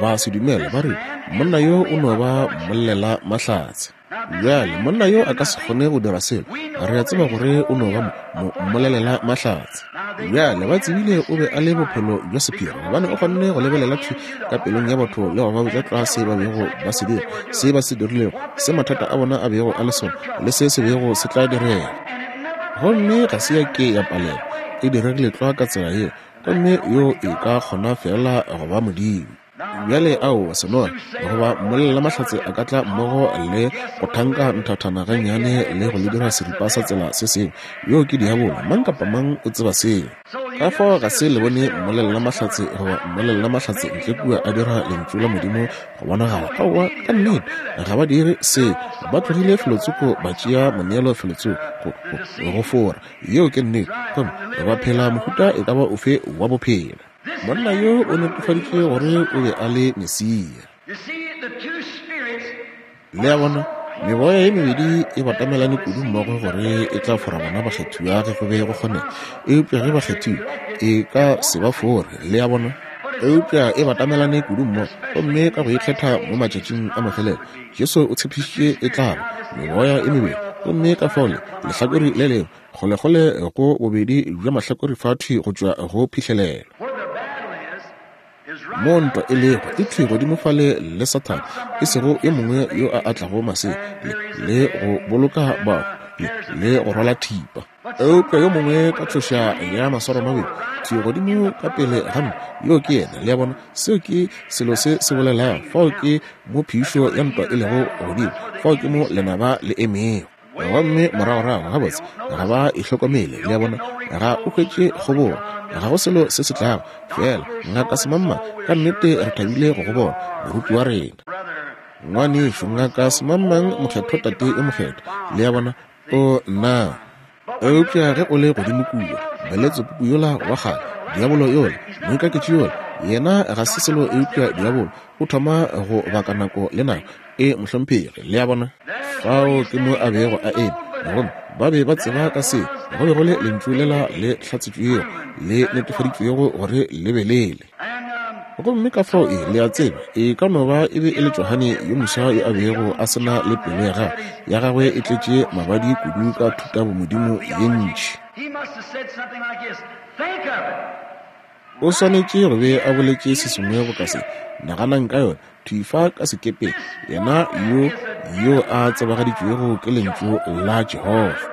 ba se dumele, ba re, Monna yo o no ba mmolelela mahlatse. Bjale, monna yo a ka se kgone go dira selo. Re a tseba gore o no ba mo, mmolelela mahlatse. Bjale, ba tsebile o be a le bophelo bja sephiri, gobane o kgonne go lebelela thwi ka pelong ya batho le go ba botša tlwa se ba bego ba se dira, se ba se dirilego, se mathata a bona a bego a le sona, le se se bego se tla direga. Gomme ga se ya ke ya palelwa, e diregile tlwa ka tsela yeo, gomme yo e ka kgona feela go ba Modimo. Bjale, aowa, senola goba mmolelelamahlatse a ka tla mmogo le go thanka nthathana gannyane le go le dira seripa sa tsela se sengwe. Yoo ke diabolo, mang kapa mang o tseba seo. Ka fao ga se le bone mmolelelamahlatse goba mmolelelamahlatse ntle kua a dira Lentšu la Modimo go bonagala. Aowa, ka nnete, ga ba dire seo. Ba tlogile felotsoko, ba tšea moneelo felotsoko, go, go, go fora. Yeo ke nnete. Gomme ba phela mohuta e ka ba ofe wa bophelo. Monna yo o netefaditše gore o be a le Mesia. Le a bona, meboya ye mebedi e batamelane kudu mmogo gore e tla fora bona bakgethiwa ge go be go kgonega, eupša ge ba kgethiwe e ka se ba fore. Le a bona? Eupša e batamelane kudu mmogo, gomme ka go ikgetha mo matšatšing a mafelelo, Jesu o tshepišitše e tla ba meboya e mebedi, gomme ka fao le lehlakore le lengwe Kgolekgole go bobedi bja mahlakore fa thwi go tšwa go phihlelelo. Mo ntwa e lego, e thwi godimo fale le Sathane, e sego yo mongwe yo a atlago masea le, le go boloka bahu le, le go rwala thipa. Eupša yo mongwe ka tšhoša ya maswaro mabedi, thwi godimo ka pele ga ntwa, yoo ke yena. Le a bona? Seo ke selo se se bolelago. Fao ke mo phišo ya ntwa e lego godimo. Fao ke mo lenaba le emego. Gomme moragorago, gabotse, ga ba e hlokomele, le a bona, ga o hwetše kgobogo, ga go selo se se tlago. Feela, Ngaka Semangmang, ka nnete re thabile go go bona, moruti wa rena. Ngwanešu, Ngaka Semangmang, Mokgethwa Tate yo Mokgethwa. Le a bona? O, nna. Eupša ge o le godimo kua, Beletsebubu yola wa kgale, diabolo yola, moikaketši yola, yena ga se selo eupša diabolo, o thoma go baka nako le nako. E, mohlomphegi. Le a bona? Fao ke mo a bego a eme. Gomme ba be ba tseba ka se, go be go le Lentšu lela le hlatsetšwego, le netefaditšwego gore le be le le. Gomme ka fao e, le a tseba, e ka no ba e be e le Johane yo moswa yo a bego a se na le pelo ya gagwe, ya gagwe e tletše mabadi kudu ka thutabomodimo ye ntši. O swanetše go be a boletše se sengwe boka se, Naganang ka yona, thwi fa ka sekepeng, yena yo, yo a tsebagaditšwego ke Lentšu la Jehofa.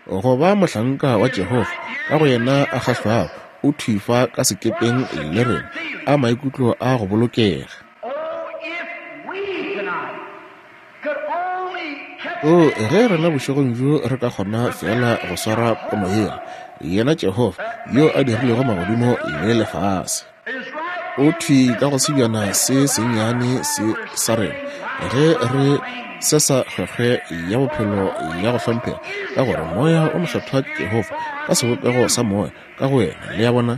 Go ba mohlanka wa Jehofa, ka go yena a kgahlwago, o thwi fa ka sekepeng le rena, a maikutlo a go bolokega. O, ge rena bošegong bjo re ka kgona feela go swara pono yela, yena Jehofa yo a dirilego magodimo le lefase, o thwi ka go sebjana se sennyane se sa rena, ge re se sa kgwekgwe ya bophelo ya go hlomphega, ka gore Moya o Mokgethwa ke Jehofa ka sebopego sa Moya ka go wena. Le a bona?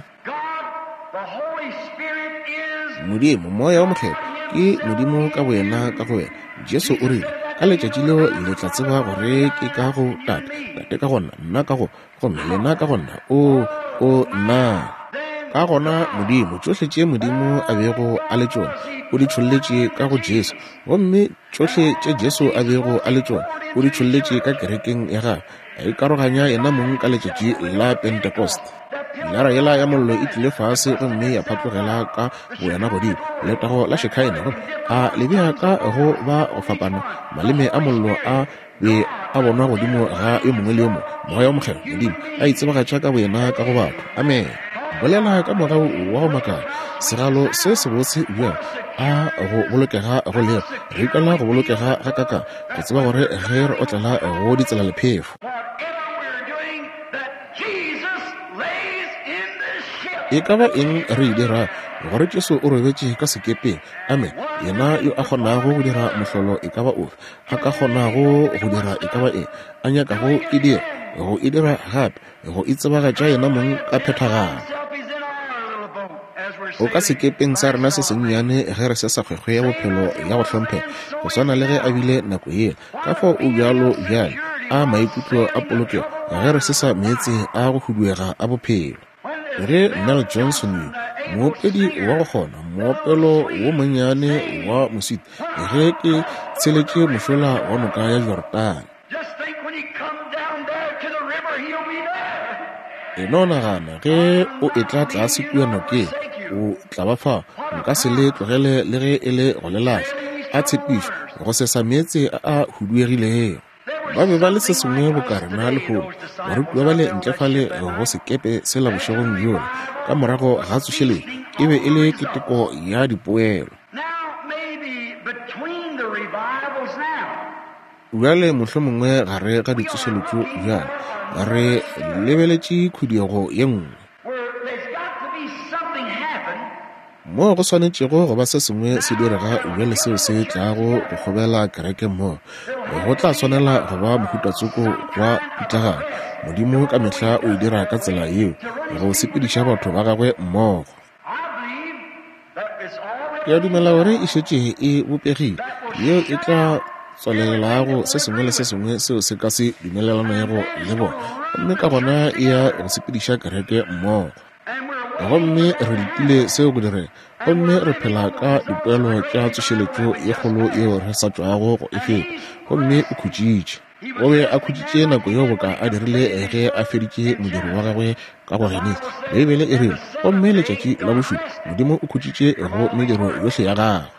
Modimo, Moya wo Mokgethwa, ke Modimo ka Boyena ka go wena. Jesu o rile, Ka letšatši leo le tla tseba gore ke ka go Tate, Tate ka go Nna, Nna ka go, gomme lena ka go Nna. O, o, nna. Ka gona, Modimo, tšohle tše Modimo a bego a le tšona, o di tšholletše ka go Jesu. Gomme tšohle tše Jesu a bego a le tšona, o di tšholletše ka Kerekeng ya Gagwe, a ikaroganya Yenamong ka Letšatši la Pentecost. Pilara yela ya Mollo e tlile fase gomme ya phatlogela ka boyona godimo, Letago la Shekinah, gomme a le bea ka go ba go fapana, maleme a mollo a be a bonwa godimo ga yo mongwe le yo mongwe, Moya wo Mokgethwa, Modimo, a itsebagatša ka Boyena ka go batho. Amene. Bolela ka mogau wa go makala, segalo se sebotse bjang, a go bolokega go lego. Re ikwela go bolokega gakakang go tseba gore ge re otlela go ditsela lephefo, e ka ba eng re e dirago, gore Jesu o robetše ka sekepeng. Amene. Yena yo a kgonago go dira mohlolo e ka ba ofe, a ka kgonago go dira e ka ba eng a nyakago e dira, go e dira gape, go itsebagatša yena mong ka phethagalo. O ka sekepeng sa rena se sennyane ge re se sa kgwekgwe ya bophelo ya go hlomphega, go swana le ge a bile nako yela. Ka fao o bjalo bjale, a maikutlo a polokego ge re se sa meetse a go huduega a bophelo. Ge Mel Johnson yo, moopedi wa go kgona moopelo wo monnyane wa moswiti, ge ke tsheletše mošola wa noka ya Jordane. E no nagana, ge o etla tlase kua nokeng, o tla ba fao. Nka se le tlogele le ge e le go le lahla. A tshepišo, go sesa meetse a a huduegilego. Ba be ba le se sengwe boka rena lehono, barutiwa bale ntle fale go sekepe sela bošegong bjola, ka morago ga tsošeletšo, e be e le keteko ya dipoelo. Bjale mohlomongwe gare ga ditsošeletšo bjale, re lebeletše khuduego ye nngwe. Moo go swanetšego go ba se sengwe se direga bjale seo se tlago go kgobela kereke mmogo. Go tla swanela go ba mohutatsoko wa pitlagano. Modimo ka mehla o e dira ka tsela yeo, go sepediša batho ba gagwe mmogo. Ke a dumela gore e šetše e bopegile, yeo e tla tswalelago se sengwe le se sengwe seo se ka se dumelelanego le bona, gomme ka gona e ya go sepediša kereke mmogo. Gomme re letile seo go direga, gomme re phela ka dipoelo tša tsošeletšo ye kgolo yeo re sa tšwago go e feta. Gomme o khutšitše. O be a khutšitše nako yeo boka a dirile ge a feditše modiro wa gagwe ka go Genesi. Beibele e rile, Gomme letšatši la bošupa, Modimo o khutšitše go mediro yohle ya gagwe.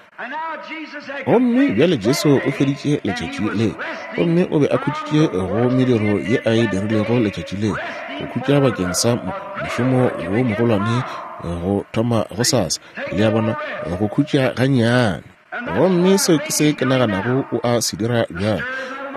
Gomme bjale Jesu o feditše letšatši le, gomme o be a khutšitše go mediro ye a e dirilego letšatši le, go khutša bakeng sa mošomo wo mogolwane go thoma gosasa, le a bona, go khutša gannyane. Gomme seo ke se ke naganago o a se dira bjale.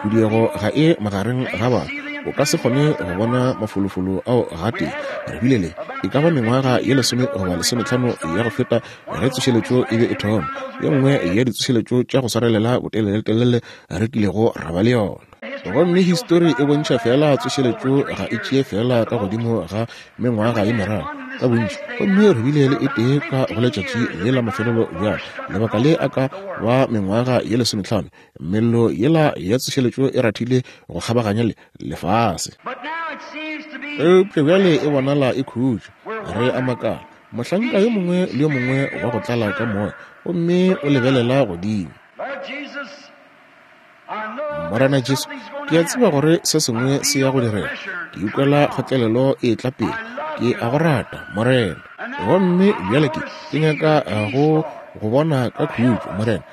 Khuduego ga e magareng ga batho. O ka se kgone go bona mafolofolo ao gatee. Re bile le e ka ba mengwaga ye 10 goba 15 ya go feta ge tsošeletšo e be e thoma, ye nngwe ya ditsošeletšo tša go swarelela boteleletelele re kilego ra ba le yona. Gomme histori e bontšha fela tsošeletšo ga e tšee fela ka godimo ga mengwaga ye meraro ka bontši, gomme re bile le e tee ka go letšatši le la mafelelo bjale, lebaka le a ka ba mengwaga ye 15, mello yela ya tsošeletšo e rathile go kgabaganya le lefase. Eupša bjale e bonala e khutša. Re a makala, mohlanka yo mongwe le yo mongwe wa go tlala ka moya, gomme o lebelela godimo. Morena Jesu, ke a tseba gore se sengwe se ya go direga. Ke ikwela kgotlelelo e tla pele. Ke a go rata, Morena. Gomme bjale ke nyaka go go bona ka khutšo, Morena.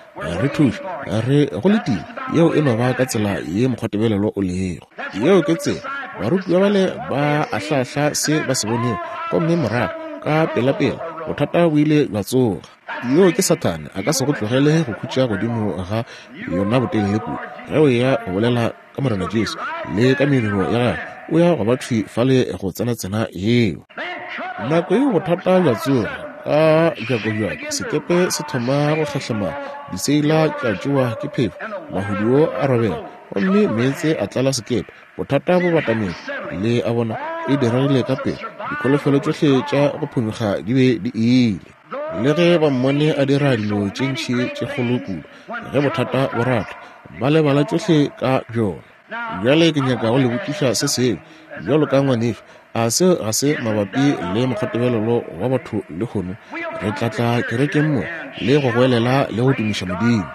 Re thuše, re go letile. Yeo e no ba ka tsela ye mokgwatebelelo o lego. Yeo ke tsela. Barutiwa bale ba ahlaahla se ba se bonego, gomme morago ka pelapela bothata bo ile bja tsoga. Yo ke Sathane, a ka se go tlogele go khutša godimo ga yona botelele kudu. Ge o eya go bolela ka Morena Jesu le ka mediro ya gagwe, o ya go ba thwi fale go tsena-tsena yeo. Nako yeo bothata bja tsoga ka bjakobjako, sekepe se thoma go kgahlemana, diseila tša tšewa ke phefo, mahuduo a robega, gomme meetse a tlala sekepe. Bothata bo batametše, le a bona, e diregile ka pele. Dikholofelo tšohle tša go phonyokga di be di ile. Le ge ba mmone a dira dilo tše ntši tše kgolo kudu, ge bothata bo rata, ba lebala tšohle ka bjona. Bjale ke nyaka go le botšiša se sengwe, bjalo ka ngwanešu, a seo ga se mabapi le mokgwatebelelo wa batho lehono? Re tla tla kerekeng mo le go goelela le go tumiša Modimo.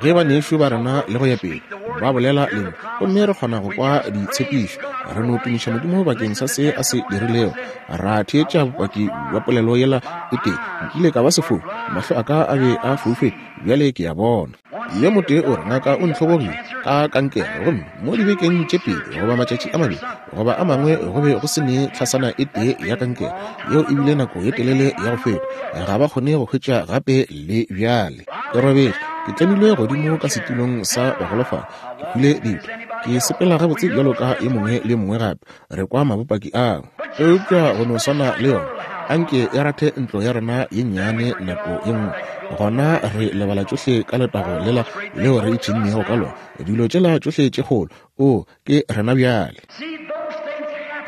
Ge banešu ba rena le go ya pele ba bolela lentšu, gomme re kgona go kwa ditshepišo, re no tumiša Modimo bakeng sa se a se dirilego, ra theetša bopaki bja polelo yela e tee, Nkile ka ba sefofu, mahlo a ka a be a foufetše, bjale ke a bona. Yo motee o re, Ngaka o ntlhobogile ka kankere, gomme mo dibekeng tše pedi goba matšatši a mabedi goba a mangwe go be go se ne tlhasana e tee ya kankere. Yeo e bile nako ye telele ya go feta. Ga ba kgone go hwetša gape le bjale. Ke robetše, ke tlemilwe godimo ka setulong sa bagolofadi, ke hwile ditho, ke sepela gabotse bjalo ka yo mongwe le yo mongwe gape. Re kwa mabopaki ao. Eupša go no swana le yona, anke e rathe ntlo ya rena ye nnyane nako ye nngwe, gona re lebala tšohle ka letago lela leo re ipshinnego ka lona, dilo tšela tšohle tše kgolo. O, ke rena bjale.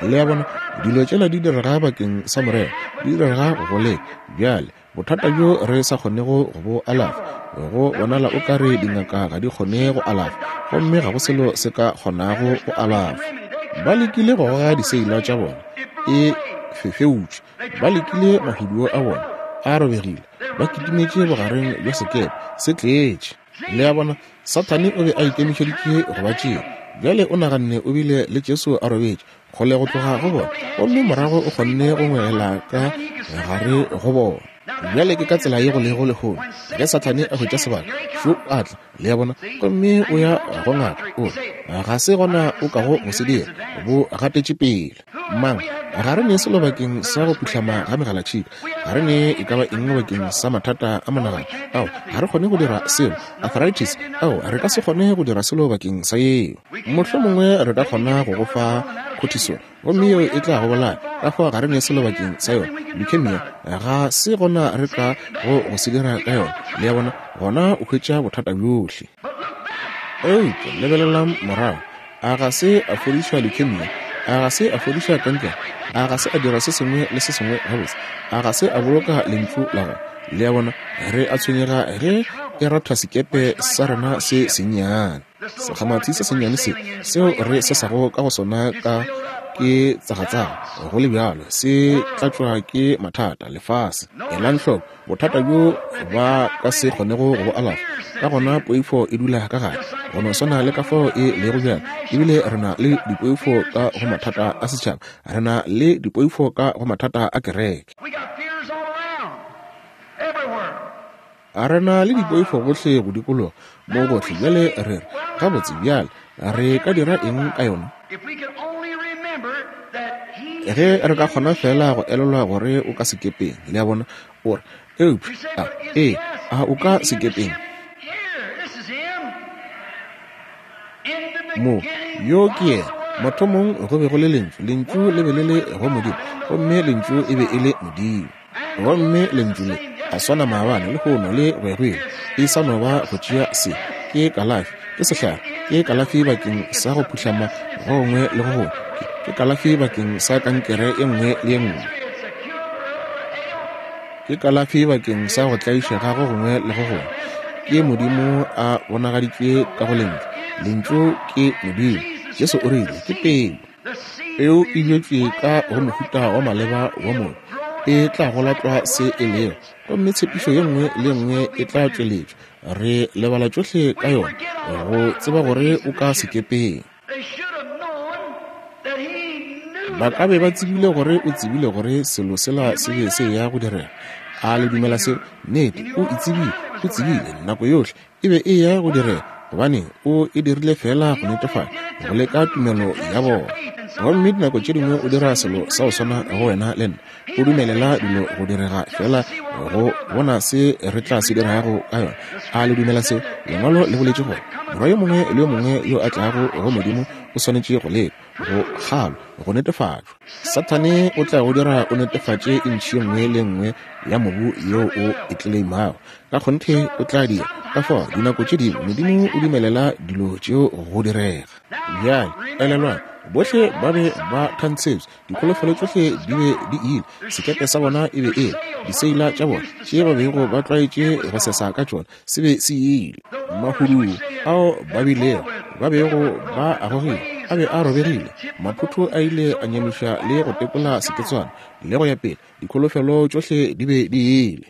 Le a bona, dilo tšela di direga bakeng sa morero, di direga go leka. Bjale, bothata bjo re sa kgonego go bo alafa, go bonala o ka re dingaka ga di kgone go alafa, gomme ga go selo se ka kgonago go alafa. Ba lekile go goga diseila tša bona, e fefeutšwe. Ba lekile mahuduo a bona, a robegile. Ba kitimetše bogareng bja sekepe, se tletše. Le a bona, Sathane o be a ikemišeditše go ba tšea. Bjale o naganne o bile le Jesu a robetše kgole go tloga go bona, gomme morago o kgonne go ngwegela ka gare go bona. Bjale ke ka tsela ye go lego lehono. Ge Sathane a hwetša sebaka, šo a tla, le a bona, gomme o ya go ngaka, o re, Ga se gona o kago go se dira, bo gatetše pele. Mang? Ga re ne selo bakeng sa go phuhlama ga megalatšhika. Ga re ne e ka ba eng bakeng sa mathata a monagano. Ao, ga re kgone go dira selo. Arthritis, ao, re ka se kgone go dira selo bakeng sa yeo. Mohlomongwe re ka kgona go go fa cortisone, gomme yeo e tla go bolaya. Ka fao ga re ne selo bakeng sa yona. Leukemia, ga se gona re ka go go se dira ka yona. Le a bona? Gona o hwetša bothata bjohle. Eupša lebelelang morago. A ga se a fodiša leukemia? A ga se a fodiša kankere? A ga se a dira se sengwe le se sengwe gabotse? A ga se a boloka lentšu la gagwe? Le a bona, re a tshwenyega ge e ratha sekepe sa rena se sennyane. Sekgamathi se sennyane se seo re sesago ka go sona ka ke tsagatsaga, go le bjalo se tlatšwa ke mathata, lefase. Elang hloko, bothata bjo ba ka se kgonego go bo alafa. Ka gona poifo e dula ka gare, go no swana le ka fao e lego bjale. Ebile re na le dipoifo ka go mathata a setšhaba, re na le dipoifo ka go mathata a kereke. A re na le dipoifo gohle go dikologa mo gohle. Bjale re re, Gabotse, bjale re ka dira eng ka yona? Ge re ka kgona feela go elelwa gore o ka sekepeng, le a bona, o re, Eupša, a, ee, a o ka sekepeng? Mo, yo ke yena. Mathomong go be go le Lentšu, Lentšu le be le le go Modimo, gomme Lentšu e be e le Modimo. Gomme Lentšu le a swana maabane, lehono, le go ya go ile. E sa no ba go tšea se. Ke kalafi, ke sehlare, ke kalafi bakeng sa go phuhlama go gongwe le go gongwe, ke kalafi bakeng sa kankere e nngwe le e nngwe, ke kalafi bakeng sa go tlaišega go gongwe le go gongwe. Ke Modimo a bonagaditšwe ka go Lentšu. Lentšu ke Modimo. Jesu o rile, Ke peu. Peu e bjetšwe ka go mohuta wa maleba wa mobu, e tla gola tlwa se e lego, gomme tshepišo ye nngwe le ye nngwe e tla tšweletšwa. Re lebala tšohle ka yona, go tseba gore o ka sekepeng. Ba ka be ba tsebile gore o tsebile gore selo sela se be se eya go direga. A le dumela seo? Nnete, o e tsebile, o tsebile nako yohle e be e eya go direga, gobane o e dirile feela go netefatša, go leka tumelo ya bona. Gomme dinako tše dingwe o dira selo sa go swana go wena le nna, o dumelela dilo go direga feela go bona se re tla se dirago ka yona. A le dumela seo? Lengwalo le boletše gore morwa yo mongwe le yo mongwe yo a tlago go Modimo o swanetše go lekwa, go kgalwa, go netefatšwa. Sathane o tla go dira o netefatše intšhi ye nngwe le nngwe ya mobu yeo o e tleleimago. Ka kgonthe o tla dira. Ka fao dinako tše dingwe Modimo o dumelela dilo tšeo go direga. Bjale elelwang, bohle ba be ba thantshetšwe, dikholofelo tšohle di be di ile, sekepe sa bona e be e le, diseila tša bona tše ba bego ba tlwaetše go sesa ka tšona se be se ile. Mahuduo ao ba bilego ba bego ba a gogile a be a robegile, maphotho a ile a nyamiša le go tekola seketswana le go ya pele, dikholofelo tšohle di be di ile.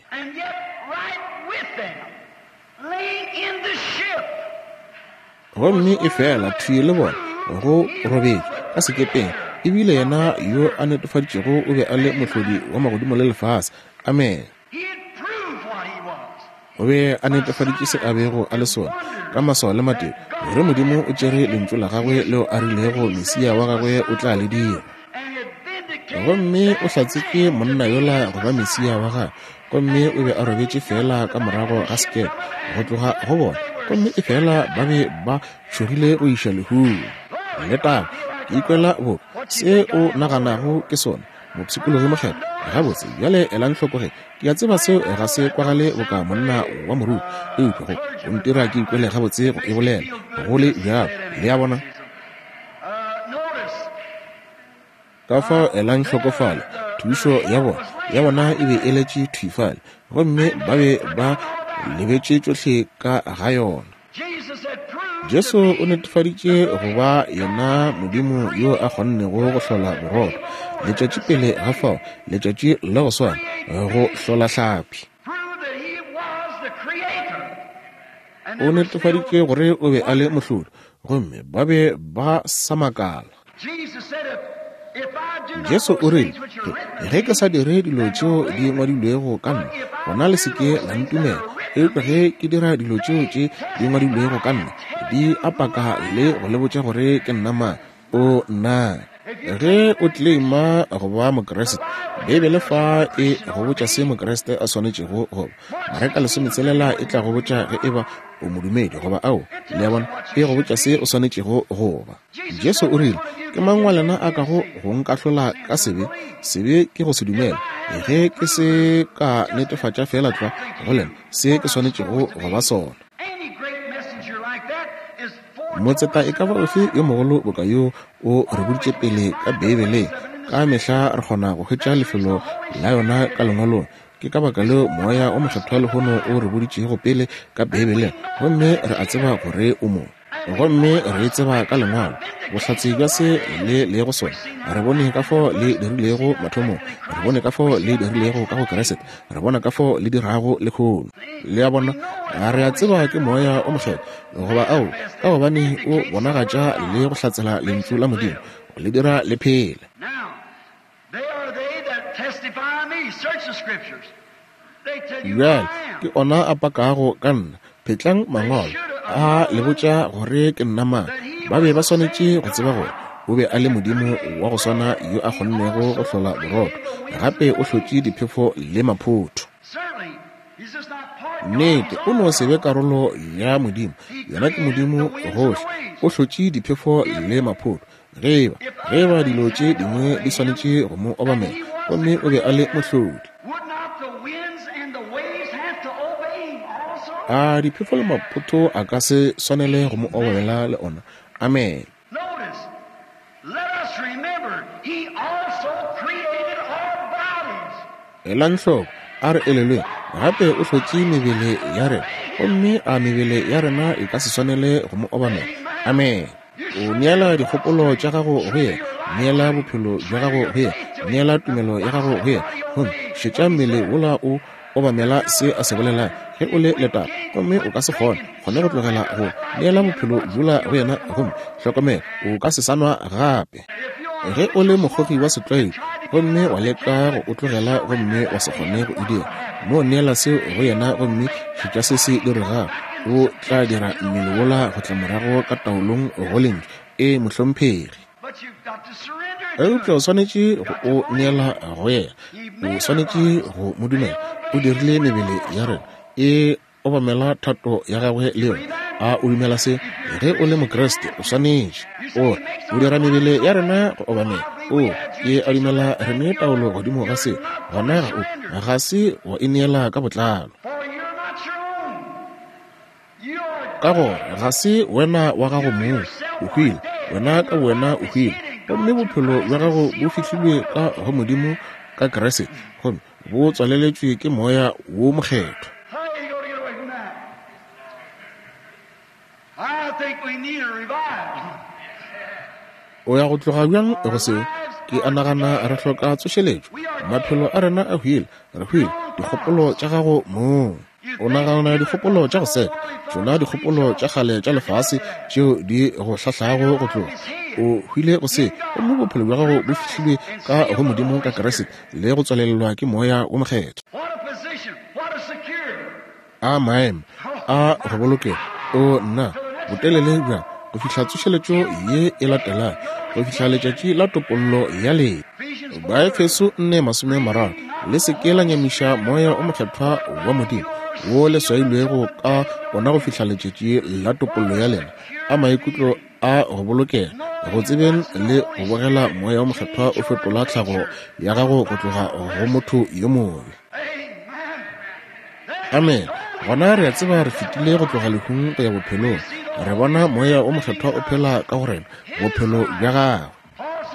Gomme efela thwi le bona go robetše ka sekepeng, e bile yena yo a netefaditšego o be a le mohlodi wa magodimo le lefase. Amene. O be a netefaditše se a bego a le sona ka maswao le matete, gore Modimo o tšere lentšu la gagwe leo a rilego Mesia wa gagwe o tla le dira. Gomme o hlatsetše monna yola go ba Mesia wa gagwe, gomme o be a robetše feela ka morago ga sekepe go tloga go bona, gomme efela ba be ba tšhogile go iša lehung. Le taba, ke ikwela boka se o naganago ke sona, mopshikologi mokgethwa. Gabotse, bjale elang hloko ge. Ke a tseba seo ga se kwagale boka monna wa moruti, eupša go, go ntira ke ikwele gabotse go e bolela, go le bjalo. Le a bona? Ka fao elang hloko fale, thušo ya bona, ya bona e be e letše thwi fale, gomme ba be ba lebetše tšohle ka ga yona. Jesu o netefaditše go ba yena Modimo yo a kgonnego go hlola borotho letšatši pele ga fao, letšatši la go swana, go hlola hlapi. O netefaditše gore o be a le mohlodi, gomme ba be ba sa makala. Jesu o rile, Ge ke sa dire dilo tšeo di ngwadilwego ka nna, gona le se ke la ntumela. Eupša ge ke dira dilo tšeo tše di ngwadilwego ka nna, di a paka le go le botša gore ke nna mang. O nna. Ge o tleleima go ba Mokriste, Beibele fa e go botša se Mokriste a swanetšego go ba. Mareka lesometselela e tla go botša ge e ba o modumedi goba ao. Le a bona, e go botša se o swanetšego go ba. Jesu o rile, Ke mang wa lena a kago go nkahlola ka sebe? Sebe ke go se dumele. Ge ke se ka netefatša feela tlwa go lena se ke swanetšego go ba sona. Motseta e ka ba ofe yo mogolo boka yo o re boditše pele ka Beibeleng. Ka mehla re kgona go hwetša lefelo la yona ka Lengwalong. Ke ka baka leo Moya o Mokgethwa lehono o re boditšego pele ka Beibeleng, gomme re a tseba gore o mo. Gomme re e tseba ka Lengwalo, bohlatse bja se le lego sona. Re bone ka fao le dirilego mathomong, re bone ka fao le dirilego ka go Kriste, re bona ka fao le dirago lehono. Le a bona, re a tseba ke Moya o Mokgethwa, goba ao, ka gobane o bonagatša le go hlatsela Lentšu la Modimo, go le dira le phele. Bjale ke ona a pakago ka nna. Phetlang mangwalo a le botša gore ke nna mang. Ba be ba swanetše go tseba gore o be a le Modimo wa go swana yo a kgonnego go hlola borotho, gape o hlotše diphefo le maphotho. Nnete, o no se be karolo ya Modimo, yena ke Modimo gohle. O hlotše diphefo le maphotho. Ge eba, ge eba dilo tše dingwe di swanetše go Mo obamela, gomme O be a le Mohlodi. A diphefo le maphotho a ka se swanele go Mo obamela le ona? Amene. Elang hloko, a re elelweng, gape o hlotše mebele ya rena, gomme a mebele ya rena e ka se swanele go mo obamela? Amene. O neela dikgopolo tša gago go yena, neela bophelo bja gago go yena, neela tumelo ya gago go yena, gomme šetša mmele wola o obamela se a se bolelang. Ge o le letaba gomme o ka se kgone, kgone go tlogela go neela bophelo bjola go yena, gomme hlokomela, o ka se sa nwa gape. Ge o le mokgogi wa setlwaedi gomme wa leka go o tlogela gomme wa se kgone go e dira, no neela seo go yena gomme šetša se se diregago. O tla dira mmele wola go tla morago ka taolong go Lentšu. Ee, mohlomphegi. Eupša o swanetše go o neela go yena. O swanetše go mo dumela. O dirile mebele ya rena e obamela thato ya gagwe le yona. A o dumela se? Ge o le Mokriste, o swanetše. O re, O dira mebele ya rena go obamela. O, ke a dumela re ne taolo godimo ga seo. Gona ga o, ga se wa ineela ka botlalo. Ka gore ga se wena wa gago mong, o hwile, wena ka bowena o hwile, gomme bophelo bja gago bo fihlilwe ka go Modimo ka Kriste, gomme bo tswaleletšwe ke Moya wo Mokgethwa. O ya go tloga bjang go seo? Ke a nagana re hloka tsošeletšo. Maphelo a rena a hwile, re hwile, dikgopolo tša gago mong. O nagana dikgopolo tša go seka, tšona dikgopolo tša kgale tša lefase tšeo di go hlahlago go tloga. O hwile go se, gomme bophelo bja gago bo fihlilwe ka go Modimo ka Kriste le go tswalelelwa ke Moya wo Mokgethwa. A maemo a go bolokega! O nna, botelele bjang go fihla tsošeletšo ye e latelago, go fihla letšatši la topollo ya lena. Baefeso 4:30, Le se ke la nyamiša Moya o Mokgethwa wa Modimo, wo le swailwego ka ona go fihla letšatši la topollo ya lena. A maikutlo a go bolokega, go tsebeng le go bogela Moya o Mokgethwa o fetola tlhago ya gago go tloga go motho yo mobe. Amene. Gona re a tseba re fetile go tloga lehung go ya bophelong. Re bona Moya o Mokgethwa o phela ka go rena, bophelo bja Gagwe.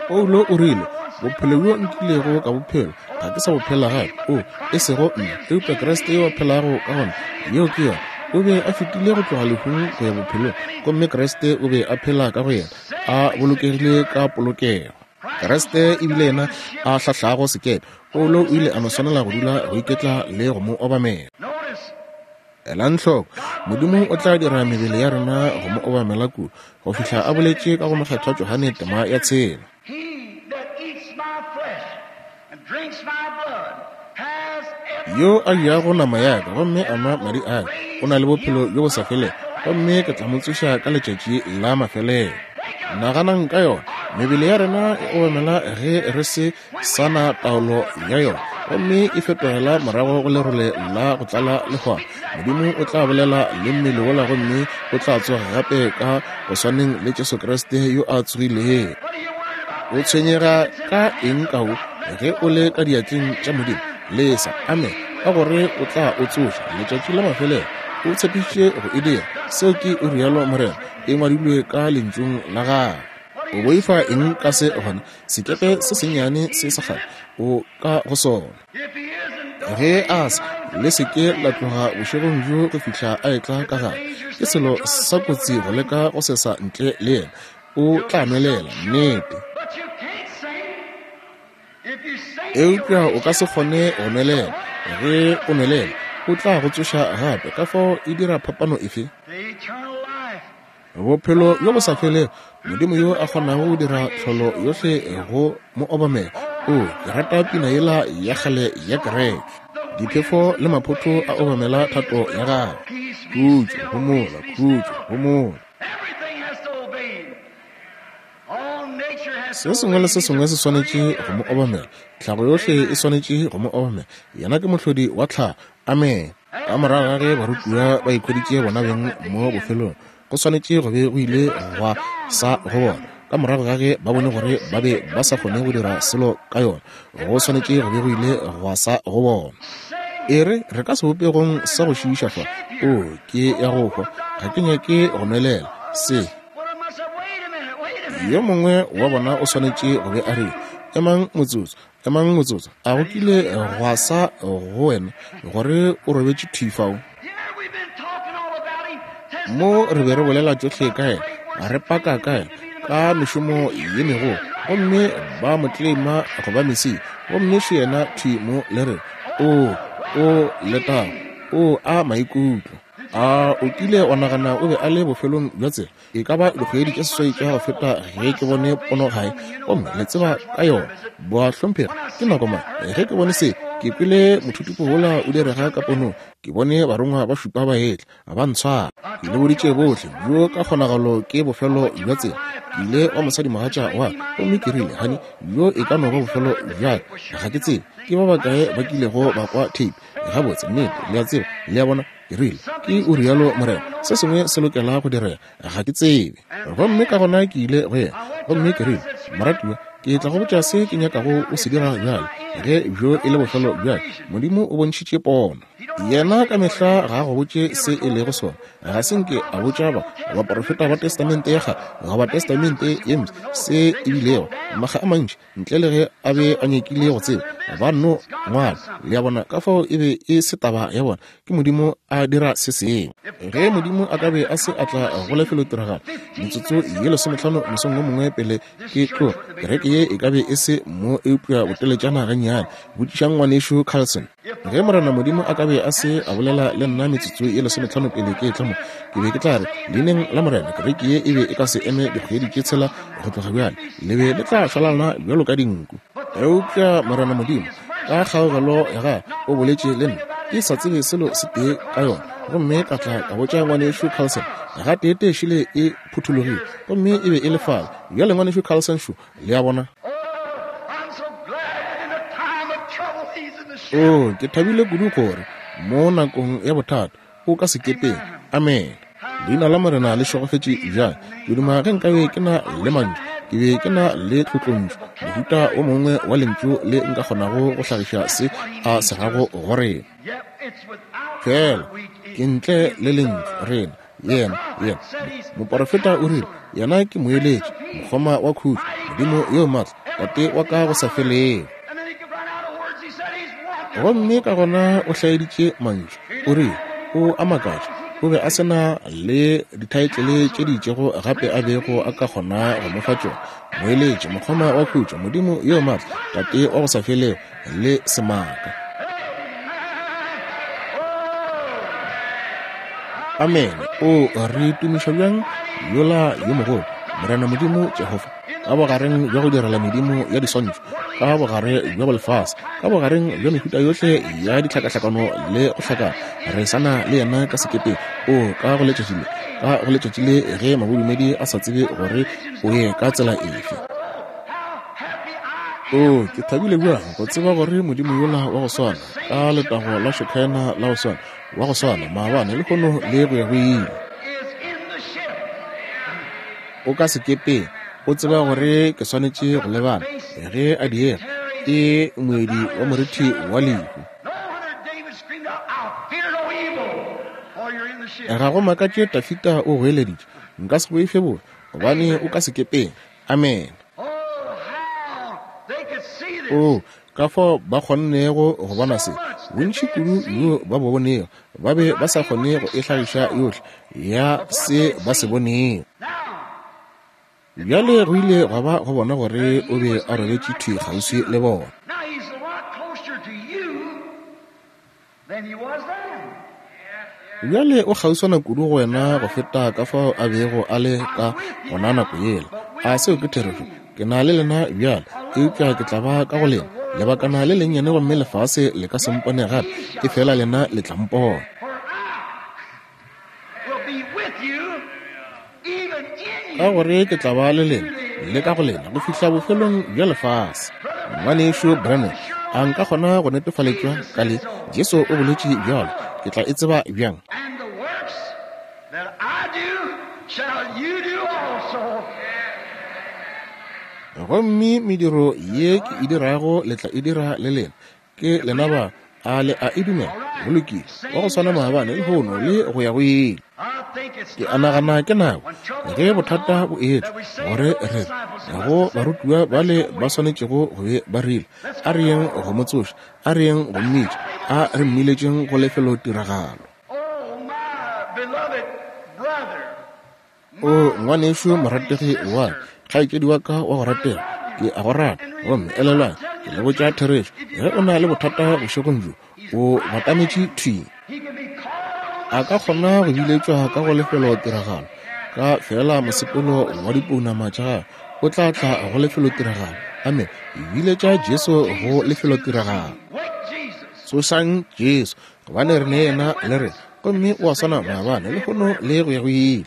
Paulo o rile, Bophelo bjo nkilego ka bophelo, ga ke sa bo phela gape. O, e sego nna, eupša Kriste yo a phelago ka go nna. Yeo ke yona. O be a fetile go tloga lehung go ya bophelong, gomme Kriste o be a phela ka go yena, a bolokegile ka polokego. Kriste e bile yena a hlahlago sekepe. Paulo o ile a no swanela go dula go iketla le go mo obamela. Elang hloko, Modimo o tla dira mebele ya rena go mo obamela kudu, go fihla a boletše ka go Mokgethwa Johane tema ya tshela. Yo a jago nama ya ka gomme a nwa madi a ka o na le bophelo bjo bo sa felego, gomme ke tla mo tsoša ka letšatši la mafelelo. Naganang ka yona, mebele ya rena e obamela ge re se sa na taolo ya yona gomme e fetogela morago go lerole la go tlala lehwana. Modimo o tla bolela le mmele wola gomme o tla tsoga gape ka go swaneng le Jesu Kriste yo a tsogilego. O tshwenyega ka eng ka wo ge o le ka diatleng tša Modimo? Lesa, amen, ka gore o tla o tsoša letšatši la mafelelo. O tshepišitše go e dira. Seo ke o rialo Morena, e ngwadilwe ka Lentšung la Gagwe. O boifa eng ka se gona? Sekepe se sennyane se sa kgale o ka go sona. Ge a sa, le se ke la tloga bošegong bjo go fihla a etla ka gare. Ke selo sa kotsi go leka go sesa ntle le yena. O tla nwelela, nnete. Eupša o ka se kgone go nwelela. Ge o nwelela, o tla go tsoša gape. Ka fao e dira phapano efe? Bophelo bjo bo sa felego, Modimo yo a kgonago go dira tlholo yohle go mo obamela. O, ke rata pina yela ya kgale ya kereke. Diphefo le maphotho a obamela thato ya gagwe. Khutšo, homola, khutšo, homola. Se sengwe le se sengwe se swanetše go mo obamela. Tlhago yohle e swanetše go mo obamela. Yena ke mohlodi wa tlhago. Amene. Ka morago ga ge barutiwa ba ikhweditše bona beng mo bofelong, go swanetše go be go ile gwa sa go bona. Ka morago ga ge ba bone gore ba be ba sa kgone go dira selo ka yona, go swanetše go be go ile gwa sa go bona. E re, re ka sebopegong sa go šiiša fa. Oo, ke ya go hwa. Ga ke nyake go nwelela. Se. Yo mongwe wa bona o swanetše go be a rile, Emang motsotso, emang motsotso. A go kile gwa sa go wena gore o robetše thwi fao? Mo re be re bolela tšohle ka yena, re paka ka yena, ka mešomo ye megolo, gomme ba mo tlema go ba Mesia, gomme še yena thwi mo le re, O, o letago, o a maikutlo. A o kile wa nagana o be a le bofelong bja tsela? E ka ba dikgwedi tše seswai tša go feta ge ke bone pono gae, gomme le tseba ka yona. Boahlomphegi, ke nako mang ge ke bone se? Ke kwele mothutupo wola o direga ka ponong. Ke bone barongwa ba šupa ba etla, ba ntshwara. Ke le boditše bohle, bjo ka kgonagalo ke bofelo bja tsela. Ke ile wa mosadimogatša wa ka, gomme ke rile, Honey, bjo e ka no ba bofelo bja ka. Ga ke tsebe ke ba bakae ba kilego ba kwa theipi. Gabotse, nnete, le a tseba, le a bona. Ke rile, Ke o rialo Morena, se sengwe se lokela go direga. Ga ke tsebe. Gomme ka gona ke ile go yena, gomme ke rile, Moratiwa, ke tla go botša se ke nyakago o se dira bjale, ge bjo e le bofelo bja ka. Modimo o bontšhitše pono. Yena ka mehla ga a go botše se e lego sona. Ga se nke a botša ba baporofeta ba Testamente ya Kgale goba Testamente ye Mpsha se e bilego. Makga a mantši ntle le ge a be a nyakile go tseba, ba nno ngwala. Le a bona? Ka fao e be e se taba ya bona. Ke Modimo a dira se sengwe. Ge Modimo a ka be a se a tla go lefelotiragalo metsotso ye lesometlhano mosong wo mongwe pele ke tloga, kereke ye e ka be e se mo eupša boteletšana gannyane. Botšišang Ngwanešu Carlson. Ge Morena Modimo a ka be a se a bolela le nna metsotso ye lesometlhano pele ke etla mo, ke be ke tla re, Leineng la Morena, kereke ye e be e ka se eme dikgwedi tše tshela go tloga bjale. Le be le tla šwalalana bjalo ka dinku. Eupša Morena Modimo, ka kgaogelo ya Gagwe, o boletše le nna, ke sa tsebe selo se tee ka yona, gomme ka tla ka botša Ngwanešu Carlson. Gateetee šele e phuthologile, gomme e be e le fale. Bjale Ngwanešu Carlson šo, Le a bona? Oo, ke thabile kudu gore mo nakong ya bothata o ka sekepeng. Amene. Leina la Morena le šegofetše bjang. Ke duma ge nkabe ke na le mantšu, ke be ke na le tlotlontšu, mohuta o mongwe wa lentšu le nka kgonago go hlagiša se a se rago go rena. Fela ke ntle le lentšu rena Yena, yena, moporofeta o rile, Yena ke moeletši, mokgoma wa khutšo, Modimo yo maatla, Tate wa ka go sa felego. Gomme ka gona o hlaeditše mantšu, o rile, O a makatša. O be a se na le dithaetlele tše di itšego gape a bego a ka kgona go mo fa tšona. Moeletši, mokgoma wa khutšo, Modimo yo maatla, Tate wa go sa felego, le semaka. Amene. O re tumiša bjang yola yo mogolo, Morena Modimo Jehofa, ka bogareng bja go direla medimo ya diswantšho, ka bogare bja bolefase, ka bogareng bja mehuta yohle ya ditlhakahlakano le go hlakana, re sa na le yena ka sekepeng. O ka go letšatši le, ka go letšatši le ge mabodumedi a sa tsebe gore o ye ka tsela efe. Oo, ke thabile bjang go tseba gore Modimo yola wa go swana, ka letago la Shekinah la go swana, wa go swana maabane, lehono le go ya go ile. O ka sekepeng, o tseba gore ke swanetše go lebana, ge a diega, ke moedi wa morithi wa lehu. Ga go makatše Dafida o goeleditše, Nka se boife bobe, gobane o ka sekepeng. Amene. Oo, ka fao ba kgonnego go bona se! Bontši kudu bjo ba bo bonego, ba be ba sa kgone go e hlagiša yohle ya se ba se bonego. Bjale go ile gwa ba go bona gore o be a robetše thwi kgauswi le bona. Bjale o kgauswana kudu go wena go feta ka fao a bego a le ka gona nako yela. A seo ke therešo? Ke na le lena bjale, eupša ke tla ba ka go lena lebakana le lennyane gomme lefase le ka se mpone gape, efela lena le tla mpona. Ka gore ke tla ba le lena le ka go lena go fihla bofelong bja lefase. Ngwanešu Branham, a nka kgona go netefaletšwa ka le? Jesu o boletše bjalo. Ke tla e tseba bjang? Gomme mediro ye ke e dirago le tla e dira le lena. Ke lena ba, a le a e dumela? Go lokile. Wa go swana maabane, lehono, le go ya go ile. Ke a nagana ke nako ge bothata bo etla gore re re go barutiwa bale ba swanetšego go be ba rile, A re yeng go mo tsoša, a re yeng go mmitša, a re mmiletšeng go lefelotiragalo. O ngwanešu morategi wa ka, kgaetšedi wa ka wa go ratega, ke a go rata. Gomme elelwang, ke le botša therešo, ge o na le bothata bošegong bjo, o batametše thwi. A ka kgona go biletšwa ka go lefelotiragalo ka feela mosepelo wa dipounama tša gagwe, o tla tla go lefelotiragalo. Amene. Biletša Jesu go lefelotiragalo. Tsošang Jesu, gobane re ne yena le rena, gomme o a swana maabane, lehono, le go ya go ile.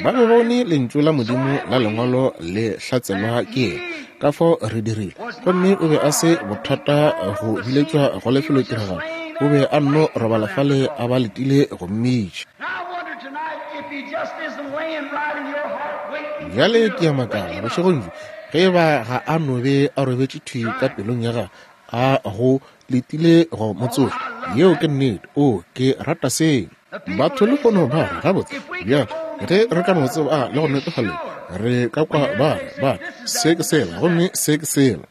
Ba be bone Lentšu la Modimo la Lengwalo le hlatselwa ke yena, ka fao re dirile. Gomme o be a se bothata go biletšwa go lefelotiragalo, o be a nno robala fale a ba letile go mmitša. Bjale ke a makala bošegong bjo ge e ba ga a no be a robetše thwi ka pelong ya gagwe a go letile go mo tsoša. Yeo ke nnete. O, ke rata seo. Batho lehono ba re, Gabotse, bjale, ge re ka no tseba le go netefalelwa, re ka kwa ba re, ba re, se ke sela, gomme se ke sela.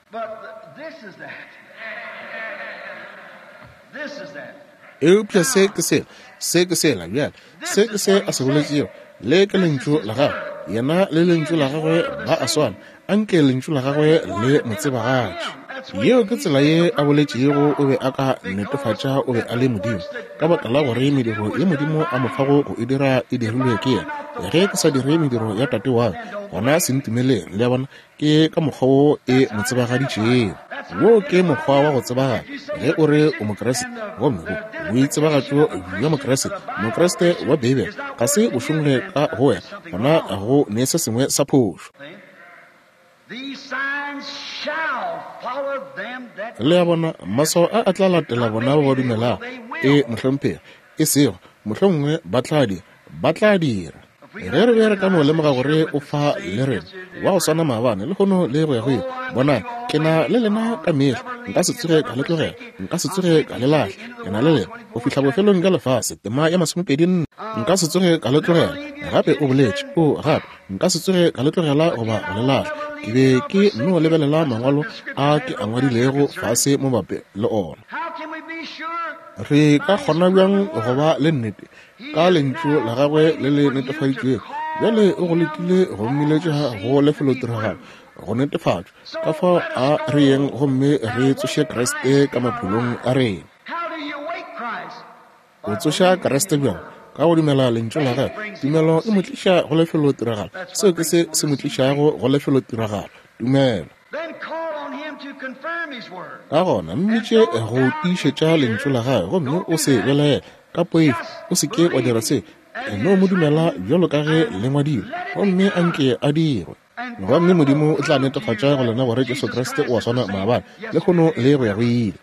Eupša se ke sela, se ke sela, bjale, se ke se a se boletšego. Le ke Lentšu la Gagwe. Yena le Lentšu la Gagwe ba a swana. Anke Lentšu la Gagwe le mo tsebagatše. Yeo ke tsela ye a boletšego o be a ka netefatša o be a le Modimo, ka baka la gore mediro ye Modimo a mo fago go e dira e dirilwe ke yena. Ge ke sa dire mediro ya Tate wa ka, gona se ntumeleng. Le a bona? Ke ka mokgwa wo e mo tsebagaditšego. Wo ke mokgwa wa go tsebagala ge o re o Mokriste, gomme bo boitsebagatšo bja Mokriste, Mokriste wa Beibele, ga se bo šongwe ka go wena, gona go ne se sengwe sa phošo. Le a bona, maswao a a tla latela bona ba ba dumelago. E, mohlomphegi. E sego, mohlomongwe ba tla dira. Ba tla dira. Ge re be re ka no lemoga gore o fa le rena, wa go swana maabane, lehono le go ya go ile. Bonang, ke na le lena ka mehla, nka se tsoge ka le tlogela, nka se tsoge ka le lahla. Ke na le lena go fihla bofelong bja lefase, tema ya masomepedi nne. Nka se tsoge ka le tlogela. Gape o boletše, o gape, nka se tsoge ka le tlogela goba go le lahla. Ke be ke no lebelela mangwalo a ke a ngwadilego fase mo mabapi le ona. Re ka kgona bjang go ba le nnete ka Lentšu la Gagwe le le netefaditšwego? Bjale o go letile go mmiletša go lefelotiragalo, go netefatšwa. Ka fao a re yeng gomme re tsoše Kriste ka maphelong a rena. O tsoša Kriste bjang? Ka go dumela Lentšu la Gagwe. Tumelo e mo tliša go lefelotiragalo. Seo ke se se mo tlišago go lefelotiragalo, tumelo. Ka gona mmitše go tiišetša Lentšu la Gagwe, gomme o se belaele ka poifo. O se ke wa dira se. No mo dumela bjalo ka ge le ngwadilwe, gomme a nke a dirwe. Gomme Modimo o tla netefatša go lena gore Jesu Kriste o a swana maabane, lehono le go ya go ile.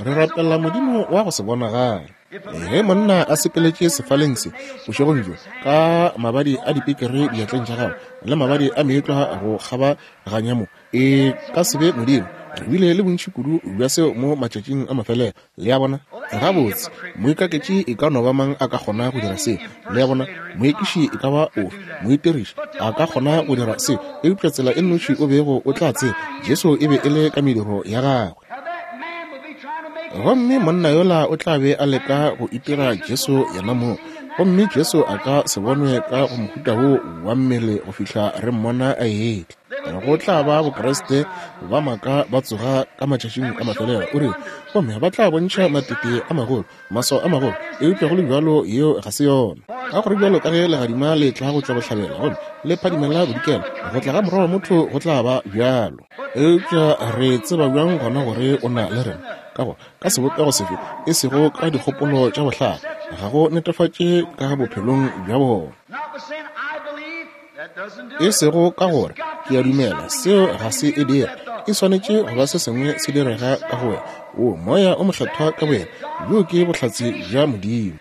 Re rapela Modimo wa go se bonagale. Ge monna a sepeletše sefaleng se bošegong bjo ka mabadi a dipekere diatleng tša gagwe le mabadi a meetlwa go kgabaganya mo, e ka se be Modimo. Re bile le bontši kudu bja seo mo matšatšing a mafelelo. Le a bona? Gabotse, moikaketši e ka no ba mang a ka kgona go dira seo. Le a bona? Moekiši e ka ba ofe, moitiriši, a ka kgona go dira seo. Eupša tsela e nnoši o bego o tla tseba, Jesu e be e le ka mediro ya gagwe. Gomme monna yola o tla be a leka go itira Jesu yena mong. Gomme Jesu a ka se bonwe ka go mohuta wo wa mmele go fihla re mmona a etla. Go tla ba Bokriste ba maaka ba tsoga ka matšatšing a mafelelo, o rile, gomme ba tla bontšha matete a magolo, maswao a magolo, eupša go le bjalo yeo ga se yona. Ka gore bjalo ka ge legadima le tla go tšwa bohlabela gomme le phadimela bodikela, go tla ga Morwa wa motho go tla ba bjalo. Eupša re tseba bjang gona gore o na le rena? Ka gore ka sebopego sefe, e sego ka dikgopolo tša bohlale, ga go netefatše ka bophelong bja bona. E sego ka gore ke a dumela, seo ga se e dire. E swanetše go ba se sengwe se direga ka go wena. O Moya o Mokgethwa ka boyena, bjoo ke bohlatse bja Modimo.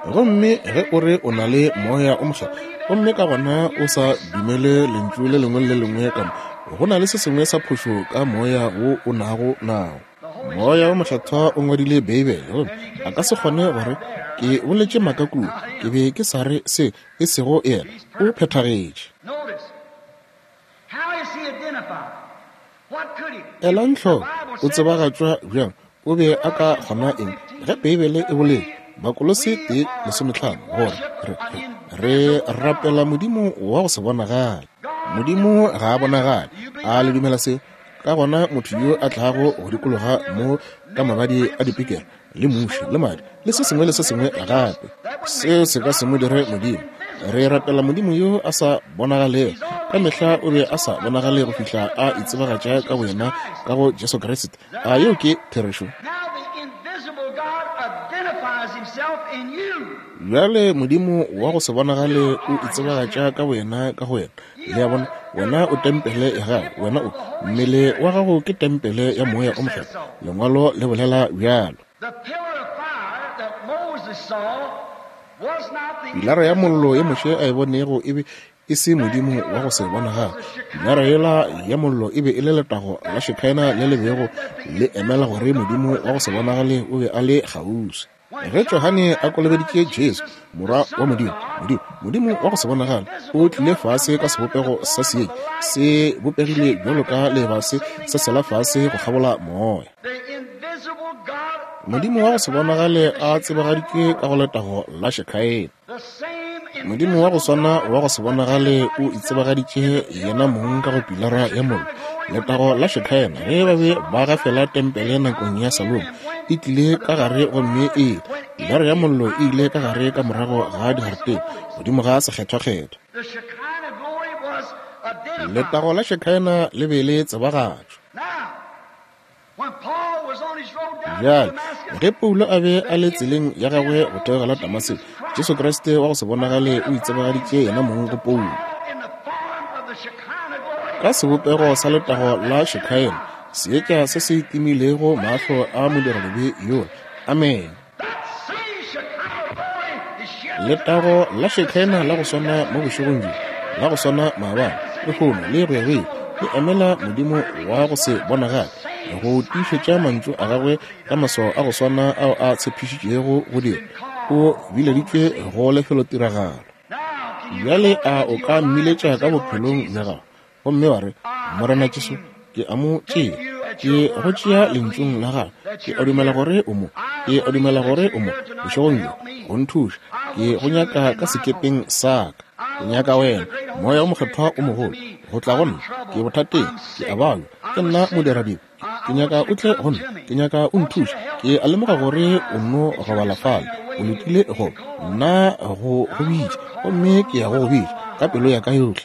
Gomme ge o re o na le Moya o Mokgethwa, gomme ka gona o sa dumele Lentšu le lengwe le le lengwe ka mo, go na le se sengwe sa phošo ka moya wo o nago nao. Moya wo Mokgethwa o ngwadile Beibele, gomme a ka se kgone gore ke boletše maaka kua, ke be ke sa re se, e sego yena. O phethagetše. Elang hloko, o tsebagatšwa bjang? O be a ka kgona eng ge Beibele e boletše, Bakolose 1:15, gore re, re, re rapela Modimo wa go se bonagale. Modimo ga a bonagale. A le dumela seo? Ka gona motho yo a tlago go dikologa mo ka mabadi a dipikela le muši le madi le se sengwe le se sengwe gape, seo se ka se mo dire Modimo. Re rapela Modimo yo a sa bonagalego. Ka mehla o be a sa bonagale go fihla a itsebagatša ka boyena ka go Jesu Kriste. A yeo ke therešo? Bjale Modimo wa go se bonagale o itsebagatša ka boyena ka go wena. Le a bona? Wena o tempele ya gagwe. Wena o, mmele wa gago ke tempele ya Moya o Mokgethwa. Lengwalo le bolela bjalo. Pilara ya mollo ye Moshe a e bonego e be e se Modimo wa go se bonagale. Pilara yela ya mollo e be e le letago la Shekinah le le bego le emela gore Modimo wa go se bonagale o be a le kgauswi. Ge Johane a kolobeditše Jesu, Morwa wa Modimo, Modimo, Modimo wa go se bonagale, o tlile fase ka sebopego sa seetša, se bopegile bjalo ka leeba se sesela fase go kgabola moya. Modimo wa go se bonagale a tsebagaditšwe ka go letago la Shekinah. Modimo wa go swana wa go se bonagale o itsebagaditše yena mong ka go pilara ya mollo, letago la Shekinah, ge ba be ba gafela tempele nakong ya Salomo, e tlile ka gare gomme e pilara ya mollo e ile ka gare ka morago ga digaretene godimo ga sekgethwakgethwa. Letago la Shekinah le be le tsebagatšwa. Bjale, ge Paulo a be a le tseleng ya gagwe go theogela Damaseko, Jesu Kriste wa go se bonagale o itsebagaditše yena mong go Paulo. Ka sebopego sa letago la Shekinah, seetša se se timilego mahlo a modiradibe yola. Amene. Letago la Shekinah la go swana mo bošegong bjo, la go swana maabane, lehono le go ya go ile, le emela Modimo wa go se bonagale, go tiišetša mantšu a gagwe ka maswao a go swana ao a tshepišitšego go dira. O bileditšwe go lefelotiragalo. Bjale a o ka mmiletša ka bophelong bja gago gomme wa re, Morena Jesu, ke a mo tšea. Ke go tšea lentšung la gago. Ke a dumela gore o mo. Ke a dumela gore o mo bošegong bjo go nthuša. Ke go nyaka ka sekepeng sa ka. Ke nyaka wena, Moya o Mokgethwa o mogolo, go tla go nna. Ke bothateng. Ke a balwa. Ke nna modiradibe. Ke nyaka o tle go nna. Ke nyaka o nthuše. Ke a lemoga gore o nno robala fale. O letile go nna go go bitša, gomme ke ya go go bitša ka pelo ya ka yohle.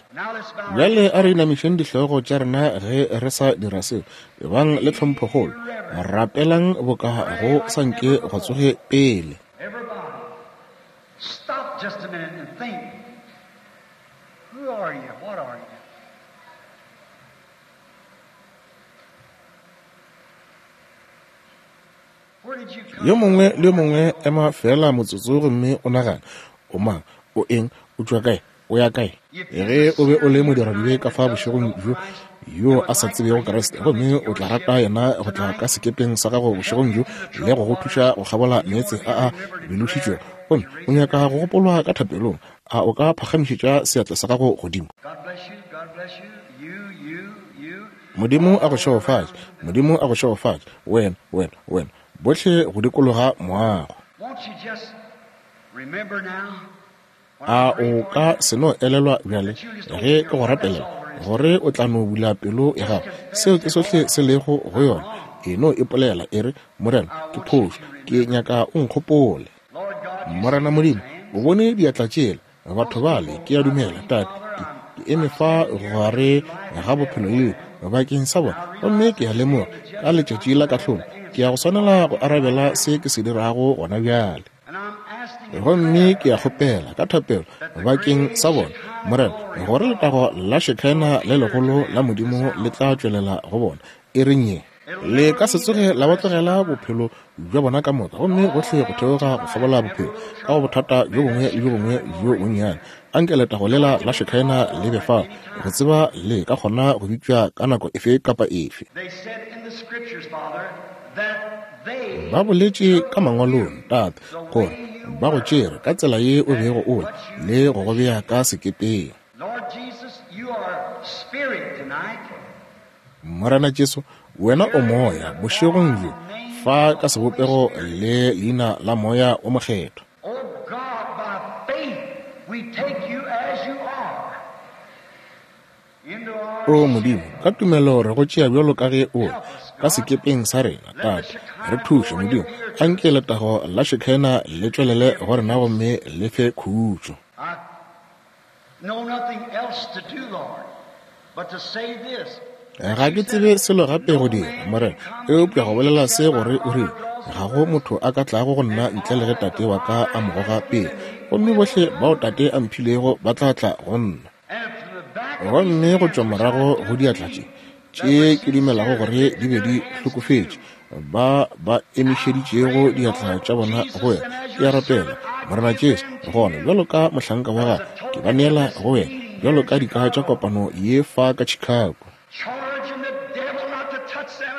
Bjale a re inamišeng dihlogo tša rena ge re sa dira seo. Ebang le tlhomphokgolo. Rapelang boka go sa nke gwa tsoge pele.
Stop just a minute and think. Who are you? What are you?
Yo mongwe le yo mongwe ema feela motsotso gomme o nagane, O mang? O eng? O tšwa kae? O ya kae? Ge o be o le modiradibe ka fa bošegong bjo, yo a sa tsebego Kriste, gomme o tla rata yena go tla ka sekepeng sa gago bošegong bjo le go go thuša go kgabola meetse a a bilošitšwego, gomme o nyaka go gopolwa ka thapelong, a o ka phagamišetša seatla sa gago godimo? Modimo a go šegofatše. Modimo a go šegofatše, wena, wena, wena, bohle go dikologa moago. A o ka se no elelwa bjale, ge ke go rapelela, gore o tla no bula pelo ya gago? Seo ke sohle se lego go yona. E no ipolela, e re, Morena, ke phošo. Ke nyaka o nkgopole. Morena Modimo, o bone diatla tšela, batho bale, ke a dumela, Tate, ke, ke eme fa gare ga bophelo le lehu bakeng sa bona, gomme ke a lemoga, ka letšatši la kahlolo, ke ya go swanela go arabela se ke se dirago gona bjale. Gomme ke a kgopela, ka thapelo, bakeng sa bona, Morena, gore letago la Shekinah le legolo la Modimo le tla tšwelela go bona. E reng ye. Le ka se tsoge la ba tlogela bophelo bja bona ka moka, gomme gohle go theoga go kgabola bophelo, ka go bothata bjo bongwe le bjo bongwe bjo bonnyane. Anke letago lela la Shekinah le be fao, go tseba le ka kgona go bitšwa ka nako efe kapa efe. Ba boletše ka Mangwalong, Tate, gore ba go tšere ka tsela ye o bego o le, le go go bea ka sekepeng. Morena Jesu, Wena o Moya, bošegong bjo, fa ka sebopego le leina la Moya wo Mokgethwa. O Modimo, ka tumelo re go tšea bjalo ka ge o le, ka sekepeng sa rena, Tate. Re thuše, Modimo. Anke letago la Shekinah le tšwelele go rena gomme le fe khutšo. Ga ke tsebe selo gape go dira, Morena, eupša go bolela se gore o rile, Ga go motho a ka tlago go nna ntle le ge Tate wa ka a mo goga pele, gomme bohle bao Tate a mphilego ba tla tla go nna. Gomme go tšwa morago go diatla tše, tše ke dumelago gore di be di hlokofetše, ba ba emišeditšego diatla tša bona go wena, ke a rapela, Morena Jesu, gona bjalo ka mohlanka wa gago, ke ba neela go wena, bjalo ka dika tša kopano ye fa ka Chicago.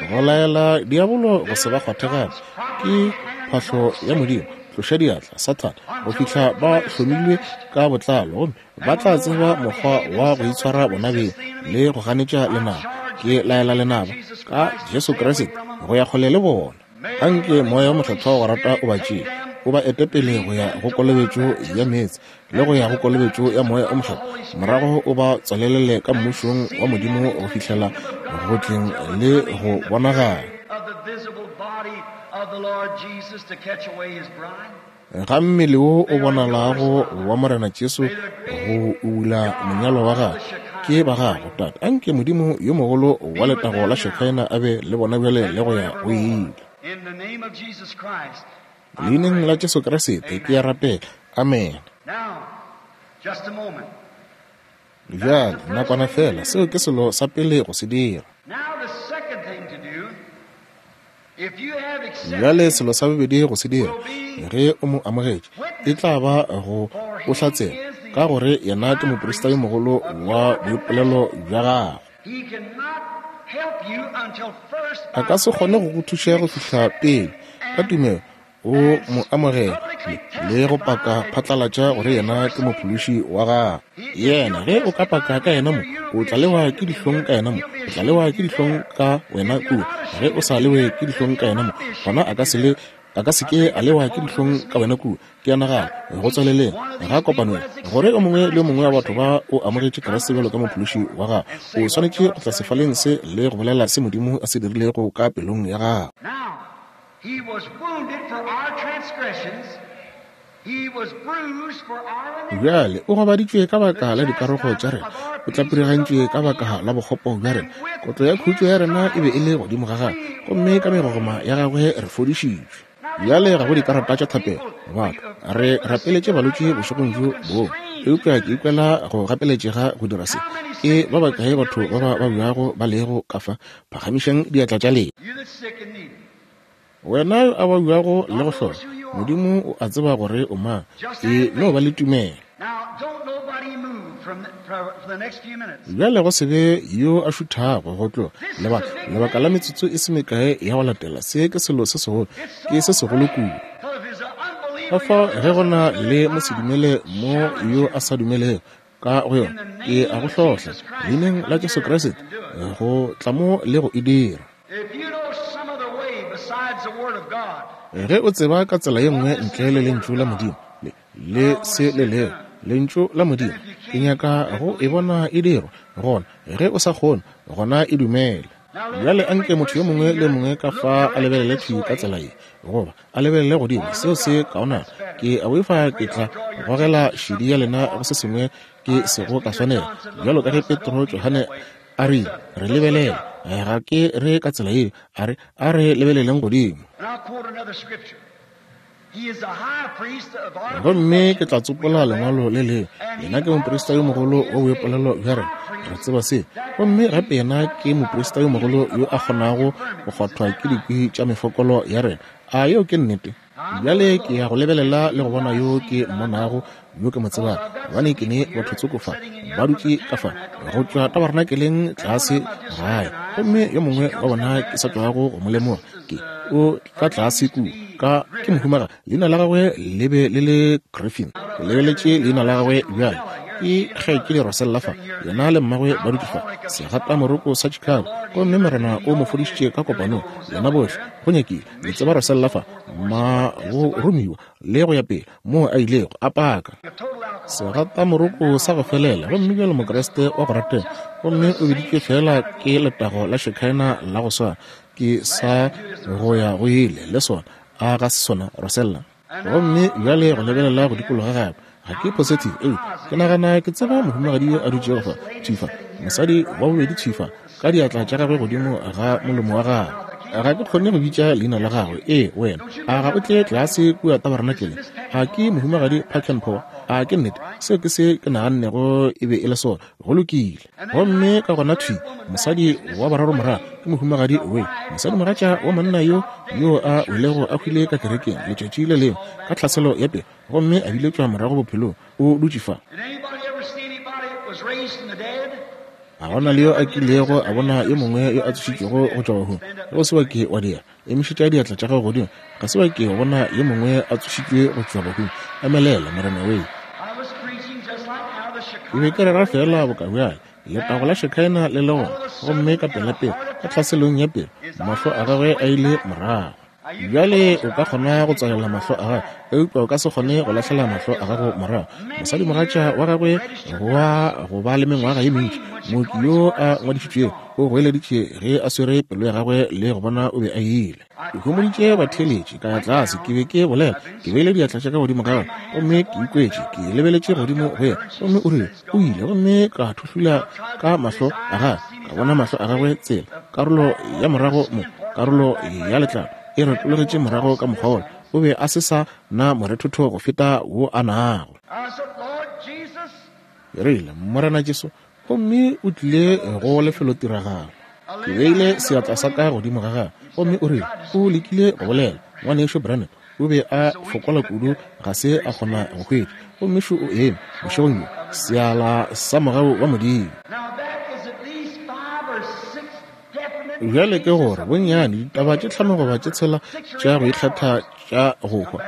Go laela diabolo go se ba kgwathe gape, ke phahlo ya Modimo, tloša diatla, Sathane, go fihla ba hlomilwe ka botlalo, gomme ba tla tseba mokgwa wa go itshwara bona beng le go ganetša lenaba. Ke laela lenaba ka Jesu Kriste go ya kgole le bona. Anke Moya wo Mokgethwa wa go rata o ba tšee, o ba ete pele go ya go kolobetšo ya meetse le go ya go kolobetšo ya Moya o Mokgethwa, morago o ba tswalelele ka Mmušong wa Modimo go fihlela go tleng le go bonagala ga mmele wo o bonalago wa Morena Jesu go ubula monyalwa wa gagwe. Ke ba gago, Tate. Anke Modimo yo mogolo wa letago la Shekinah a be le bona bjale le go ya go ile. Leineng la Jesu Kriste ke a rapela. Amene. Bjale, nakwana feela, seo ke selo sa pele go se dira. Bjale selo sa bobedi go se dira, ge o mo amogetše, e tla ba go o hlatsela, ka gore yena ke moprista yo mogolo wa boipolelo bja gago. A ka se kgone go go thuša go fihla pele ka tumelo o mo amogela le go paka phatlalatša gore yena ke mophološi wa gago. Yena, ge o ka paka ka yena mo, o tla lewa ke dihlong ka yena mo, o tla lewa ke dihlong ka wena kua. Ge o sa lewe ke dihlong ka yena mo, gona a ka se le a ka se ke a lewa ke dihlong ka wena kua. Ke a nagana, go tswaleleng ga kopano ye, gore o mongwe le o mongwe wa batho ba o amogetše Kriste bjalo ka mophološi wa gago, o swanetše go tla sefaleng se le go bolela se Modimo a se dirilego ka pelong ya gago.
He was wounded for our transgressions, he was bruised for our iniquities.
Bjale o gobaditšwe ka baka la dikarogo tša rena, o tlapirigantšwe ka baka la bokgopo bja rena. Kotlo ya khutšo ya rena e be e le godimo ga gagwe, gomme ka megogoma ya gagwe re fodišitšwe. Bjale ga go dikarata tša thapelo, batho. Re rapeletše balwetši bošegong bjo bongwe, eupša ke ikwela go gapeletšega go dira se. Ke ba bakae batho ba ba babjago ba lego ka fa? Phagamišang diatla tša lena.
You that's sick and needy.
Wena yo a babjago le go hloka, Modimo o a tseba gore o mang. E no ba le tumelo. Bjale go se be yo a šuthago go tloga lebaka, lebaka la metsotso e se mekae ya go latela. Se ke selo se segolo, ke se segolo kudu. Ka fao ge go na le mosedumele mo yo a sa dumelego ka go yona, ke a go hlohla, Leineng la Jesu Kriste, go tla mo le go e dira. Ge o tseba ka tsela ye nngwe ntle le Lentšu la Modimo, le, le se le lego Lentšu la Modimo, ke nyaka go e bona e dirwa. Gona, ge o sa kgone, gona e dumele. Bjale anke motho yo mongwe le yo mongwe ka fa a lebelele thwi ka tsela ye, goba a lebelele godimo, seo se kaonana. Ke a boifa ke tla gogela šedi ya lena go se sengwe ke sego ka swanela, bjalo ka ge Petro, Johane, A re, Re lebelele. Ga ke re ka tsela yeo. A re, A re lebeleleng godimo.
And I'll quote another scripture.
Gomme ke tla tsopola lengwalo le lengwe. Yena ke moprista yo mogolo wa boipolelo bja rena. Re tseba se. Gomme gape yena ke moprista yo mogolo yo a kgonago go kgwathwa ke dikwi tša mefokolo ya rena. A yeo ke nnete? Bjale ke ya go lebelela le go bona yo ke mmonago, yo ke mo tsebago, gobane ke ne batho tsoko fa ba dutše ka fa go tšwa tabarnakeleng tlase gae, gomme yo mongwe wa bona ke sa tšwago go mo lemoga, ke o ka tlase kua ka ke mohumaga, leina la gagwe le be le le Griffin. Ke lebeletše leina la gagwe bjale, ke kgaetšedi Rosella fa, yena le mmagwe ba dutše fa segatamoroko sa Chicago, gomme Morena o mo fodišitše ka kopanong, yena bohle go nyakile. Le tseba Rosella fa, ma go romiwa le go ya pele, moo a ilego a paka segatamoroko sa go felela, gomme bjalo Mokriste wa go ratega, gomme o biditšwe feela ke letago la Shekinah la go swana, ke sa go ya go ile le sona. A ga se sona, Rosella? Gomme bjale go lebelela go dikologa gape, ga ke positive, eupša ke nagana ke tseba mohumagadi yo a dutšego fa, thwi fa, mosadi wa bobedi thwi fa, ka diatla tša gagwe godimo ga molomo wa gagwe. Ga ke kgone go bitša leina la gagwe. Ee, wena, a ga o tle tlase kua tabarenakeleng? A ke mohumagadi Packenpour? A ke nnete? Seo ke se ke nagannego e be e le sona. Go lokile. Gomme ka gona thwi mosadi wa boraro morago ke mohumagadi we, mosadimogatša wa monna yo yo a welego a hwile ka kerekeng letšatši le lengwe ka tlhaselo ya pelo, gomme a biletšwa morago bophelong, o dutše fa. A gona le yo a kilego a bona yo mongwe yo a tsošitšwego go tšwa bahung? Ge o se wa ke wa dira, emišetša diatla tša gago godimo. Ga se wa ke wa bona yo mongwe a tsošitšwe go tšwa bahung. Emelela, Morena wee. Ke be ke rera feela boka bjale, letago la Shekinah le le gona, gomme ka pelapela, ka tlhaselong ya pelo, mahlo a gagwe a ile morago. Bjale o ka kgona go tswalela mahlo a gago, eupša o ka se kgone go lahlela mahlo a gago morago. Mosadimogatša wa gagwe wa go ba le mengwaga ye mentši, mooki yo a ngwadišitšwego, o goeleditše ge a swere pelo ya gagwe le go bona o be a ile. Ke homoditše batheeletši, ka ya tlase, ke be ke bolela, ke beile diatla tša ka godimo ga gagwe, gomme ke ikwetše ke lebeletše godimo go yena, gomme o rile o ile, gomme ka thuhlula ka mahlo a gagwe, ka bona mahlo a gagwe tsela, karolo ya morago mo, karolo ya letlalo e retologetše morago ka mokgwa wola, o be a se sa na morethotho go feta wo a nago. Ke rile, Morena Jesu, gomme o tlile go lefelotiragalo. Ke beile seatla sa ka godimo ga gagwe, gomme o rile o lekile go bolela. Ngwanešu Branham o be a fokola kudu ga se a kgona go hwetša, gomme šo o eme bošegong bjo, seala sa mogau wa Modimo. Bjale ke gore bonnyane ditaba tše tlhano goba tše tshela tša go ikgetha tša go hwa,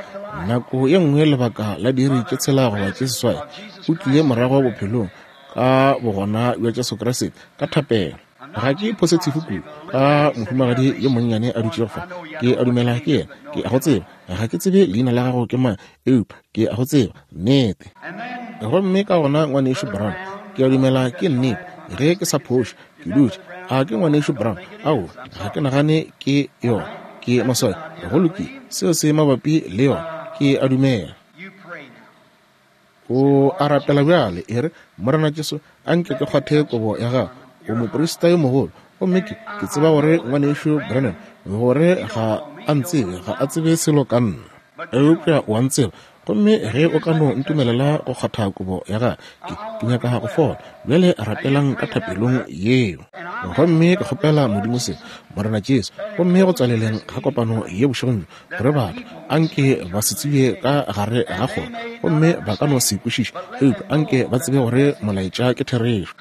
nako ye nngwe lebaka la diiri tše tshela goba tše seswai, o tlile morago bophelong ka bogona bja Jesu Kriste ka thapelo. Ga ke positive kudu ka mohumagadi yo monnyane a dutšego fa. Ke a dumela ke yena. Ke a go tseba. Ga ke tsebe leina la gago ke mang, eupša ke a go tseba. Nnete. Gomme ka gona Ngwanešu Brown, ke a dumela ke nnete, ge ke sa phoše, ke dutše. A ke Ngwanešu Brown? Aowa, ga ke nagane ke yona. Ke maswabi. Go lokile. Seo se mabapi le yona. Ke a dumela. O a rapela bjale, e re, Morena Jesu, a nke ke kgwathe kobo ya Gago. O moprista yo mogolo. Gomme ke, ke tseba gore Ngwanešu Branham, gore ga a ntsebe, ga a tsebe selo ka nna. Eupša o a ntseba. Gomme ge o ka no ntumelela go kgwatha kobo ya Gagwe, ke, ke nyaka go fola. Bjale rapelang ka thapelong yeo. Gomme ke kgopela Modimo se, Morena Jesu, gomme go tswaleleng ga kopano ye bošegong bjo, gore batho anke ba se tsebe ka gare ga kgoro, gomme ba ka no se kwešiše, eupša anke ba tsebe gore molaetša ke therešo.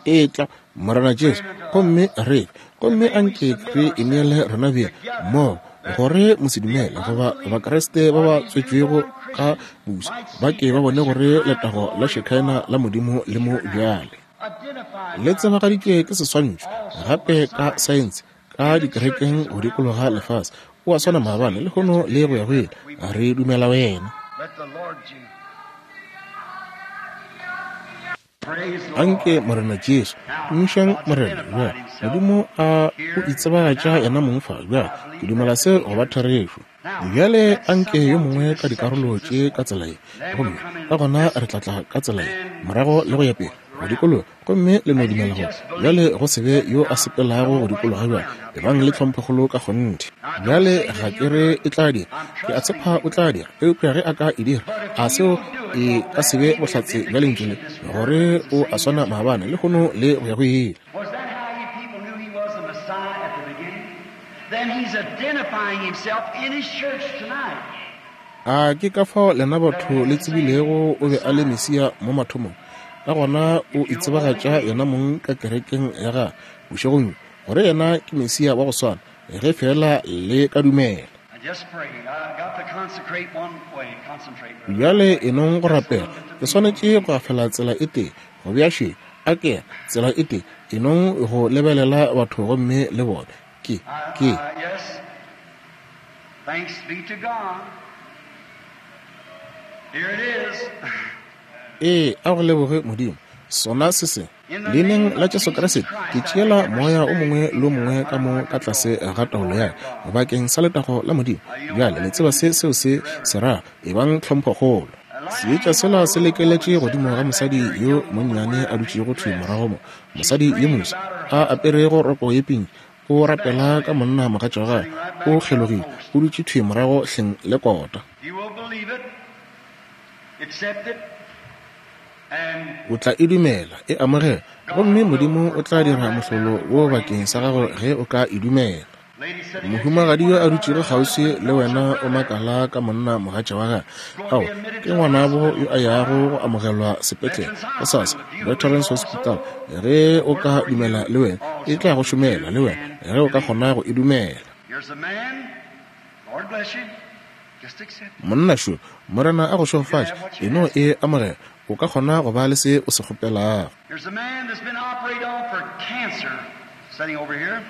Etla, Morena Jesu, gomme re fe, gomme anke re ineele rena beng mmogo, gore mosedumele goba Bakriste ba ba tswetšwego ka boswa ba ke ba bone gore letago la Shekinah la Modimo le mo bjale. Le tsebagaditšwe ke seswantšho, gape ka saense, ka dikerekeng go dikologa lefase. O a swana maabane, lehono le go ya go ile. Re dumela wena. Anke Morena Jesu, tumišang Morena bjale. Modimo a o itsebagatša yena mong fa bjale. Ke dumela se go ba therešo. Bjale anke yo mongwe ka dikarolo tše ka tsela ye, gomme ka gona re tla tla ka tsela ye, morago le go ya pele. go dikologa, gomme le no dumela gore bjale go se be yo a sepelago go dikologa bjale. Ebang le tlhomphokgolo ka kgonthe. Bjale ga ke re e tla dira, ke a tshepa o tla dira, eupša ge a ka e dira, a seo e ka se be bohlatse bja Lentšu le, gore o a swana maabane, lehono, le go ya go ile.
Was that how you people knew he was the Messiah at the beginning? Then he's identifying himself in his church tonight.
A ke ka fao lena batho le tsebilego o be a le Mesia mo mathomong? Ka gona o itsebagatša yena mong ka kerekeng ya gagwe bošegong bjo, gore yena ke Mesia wa go swana, ge feela le ka dumela.
Now just pray. I got to consecrate one way. Concentrate, brother.
Bjale enong go rapela. Ke swanetše go gafela tsela e tee, go bea še, a ke, tsela e tee, enong go lebelela batho gomme le bone. Ke, ke.
Yes. Thanks be to God. Here it is.
Ee, a go leboge Modimo. Sona se se. Leineng la Jesu Kriste, ke tšeela moya o mongwe le o mongwe ka mo ka tlase ga taolo ya ka, bakeng sa letago la Modimo. Bjale le tseba se seo se se rago, ebang tlhomphokgolo. Seetša sela se lekeletše godimo ga mosadi yo monnyane a dutšego thwi morago mo, mosadi yo moso, a aperego roko ye pinki, o rapela ka monna mogatša wa gagwe, o kgelogile, o dutše thwi morago hleng le kota.
You will believe it, accept it, and
O tla e dumela, e amogela, gomme Modimo o tla dira mohlolo wo bakeng sa gago ge o ka e dumela.
lady sitting next to
Mohumagadi yo a dutšego kgauswi le wena o makala ka monna mogatša wa gagwe. Ao, ke ngwanabo yo a yago go amogelwa sepetlele gosasa, Veterans Hospital. Ge o ka dumela le wena, e tla go šomela le wena, ge o ka kgona go e dumela.
Here's a man. Lord bless you. Just accept it.
Monna šo, Morena a go šegofatše, e no e amogela, o ka kgona go ba le se o se kgopelago.
Here's a man that's been operated on for cancer sitting over here.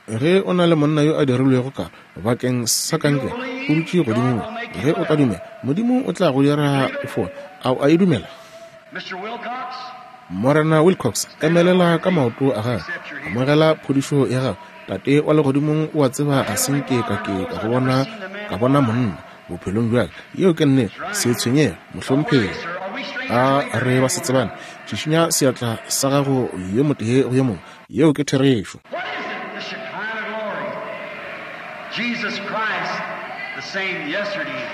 Ge o na le monna yo a dirilwego karo bakeng sa kankere, o dutše godimo mo, ge o ka dumela, Modimo o tla go dira o fole. A o a e dumela?
Mr. Wilcox,
Morena Wilcox, emelela ka maoto a gago, amogela phodišo ya gago. Tate wa legodimong, o a tseba ga se nke ka ke ka go bona, ka bona monna bophelong bja ka. Yeo ke nnete. Se tshwenyege, mohlomphegi.
are we strangers?
A re ba se tsebane? Šišinya seatla sa gago yo motee go yo mongwe. Yeo ke therešo.
What is it? The Shekinah glory. Jesus Christ, the same yesterday,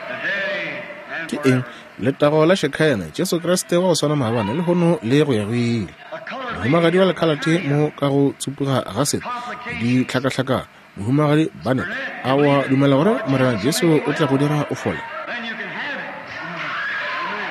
today, and
Ke eng?
forever.
Letago la Shekinah, Jesu Kriste wa go swana maabane, lehono le go ya go ile.
A colored
Mohumagadi
lady
wa lekhalate mo ka go tsupuga ga sete ditlhakahlakano. Mohumagadi Bane, a wa dumela gore Morena Jesu o tla go dira o fole?
Then you can have it. Amen.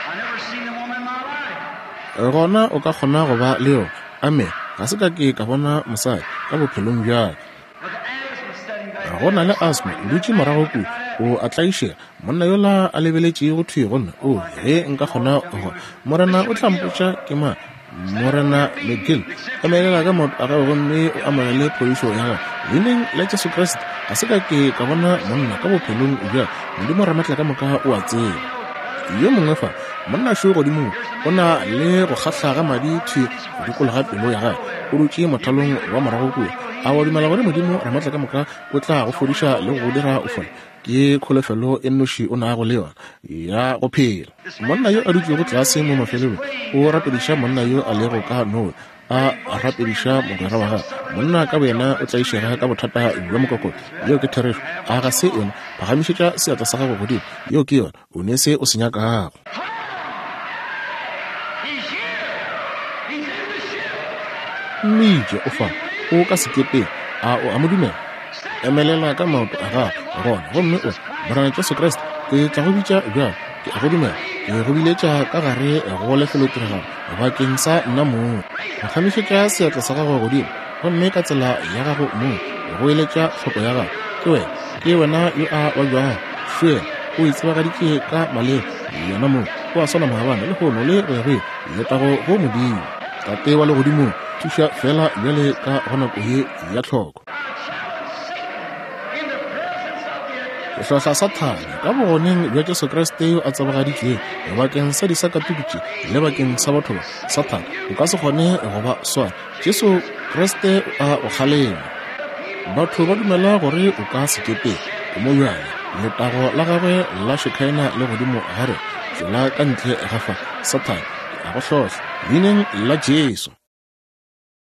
I never seen the woman in my life.
Gona o ka kgona go ba le yona. Amen. Ga se ka ke ka bona mosadi ka bophelong bja ka.
With asthma sitting back
Go na le asthma, o dutše morago kua, o a tlaišega. Monna yola a lebeletšego thwi go nna, oo, ge nka kgona go, Morena o tla mpotša ke mang. Morena McGill, emelela ka maoto a gago gomme o amogele phodišo ya gago leineng la Jesu Kriste. Ga se ka ke ka bona monna ka bophelong bja Modimo Ramatlakamoka o a tseba. Yo mongwe fa, monna šo godimo mo, o na le go kgahla ga madi thwi go dikologa pelo ya gagwe, o dutše mothalong wa morago kua. A wa dumela gore Modimo Ramatlakamoka o tla go fodiša le go go dira o fole? Ke kholofelo e nnoši o nago le yona ya go phela. Monna yo a dutšego tlase mo mafelelong o rapediša monna yo a lego ka Norway, a rapediša mogwera wa gagwe. Monna ka boyena o tlaišega ka bothata bja mokokotlo. Yeo ke therešo. A ga se yona? Phagamišetša seatla sa gago godimo. Yeo ke yona. O ne se o se nyakago.
He's here. He's in the ship.
Mmitše o fa, o ka sekepeng. A o a mo dumela? Emelela ka maoto a gago gona gomme o re, Morena Jesu Kriste, ke tla go bitša bjalo. Ke a go dumela. Ke go biletša ka gare go lefelotiragalo bakeng sa nna mong. Phagamišetša seatla sa gago godimo gomme ka tsela ya gago mong go eletša tlhoko ya gago. Ke wena, ke wena yo a babjago. Šuela, o itsebagaditše ka maleba yena mong. O a swana maabane, lehono le go ya go ile. Letago go Modimo. Tate wa legodimong, thuša feela bjale ka go nako ye ya tlhoko.
In the presence of the
Ke hlohla Sathane ka bogoneng bja Jesu Kriste yo a tsebagaditšwego bakeng sa disakatuku tše le bakeng sa batho ba. Sathane, o ka se kgone go ba swara. Jesu Kriste o a go kgalema. Batho ba dumela gore o ka sekepeng. O mo bjale. Letago la gagwe la Shekinah le godimo ga rena. Tšwela ka ntle ga fa, Sathane. Ke a go hlohla, Leineng la Jesu.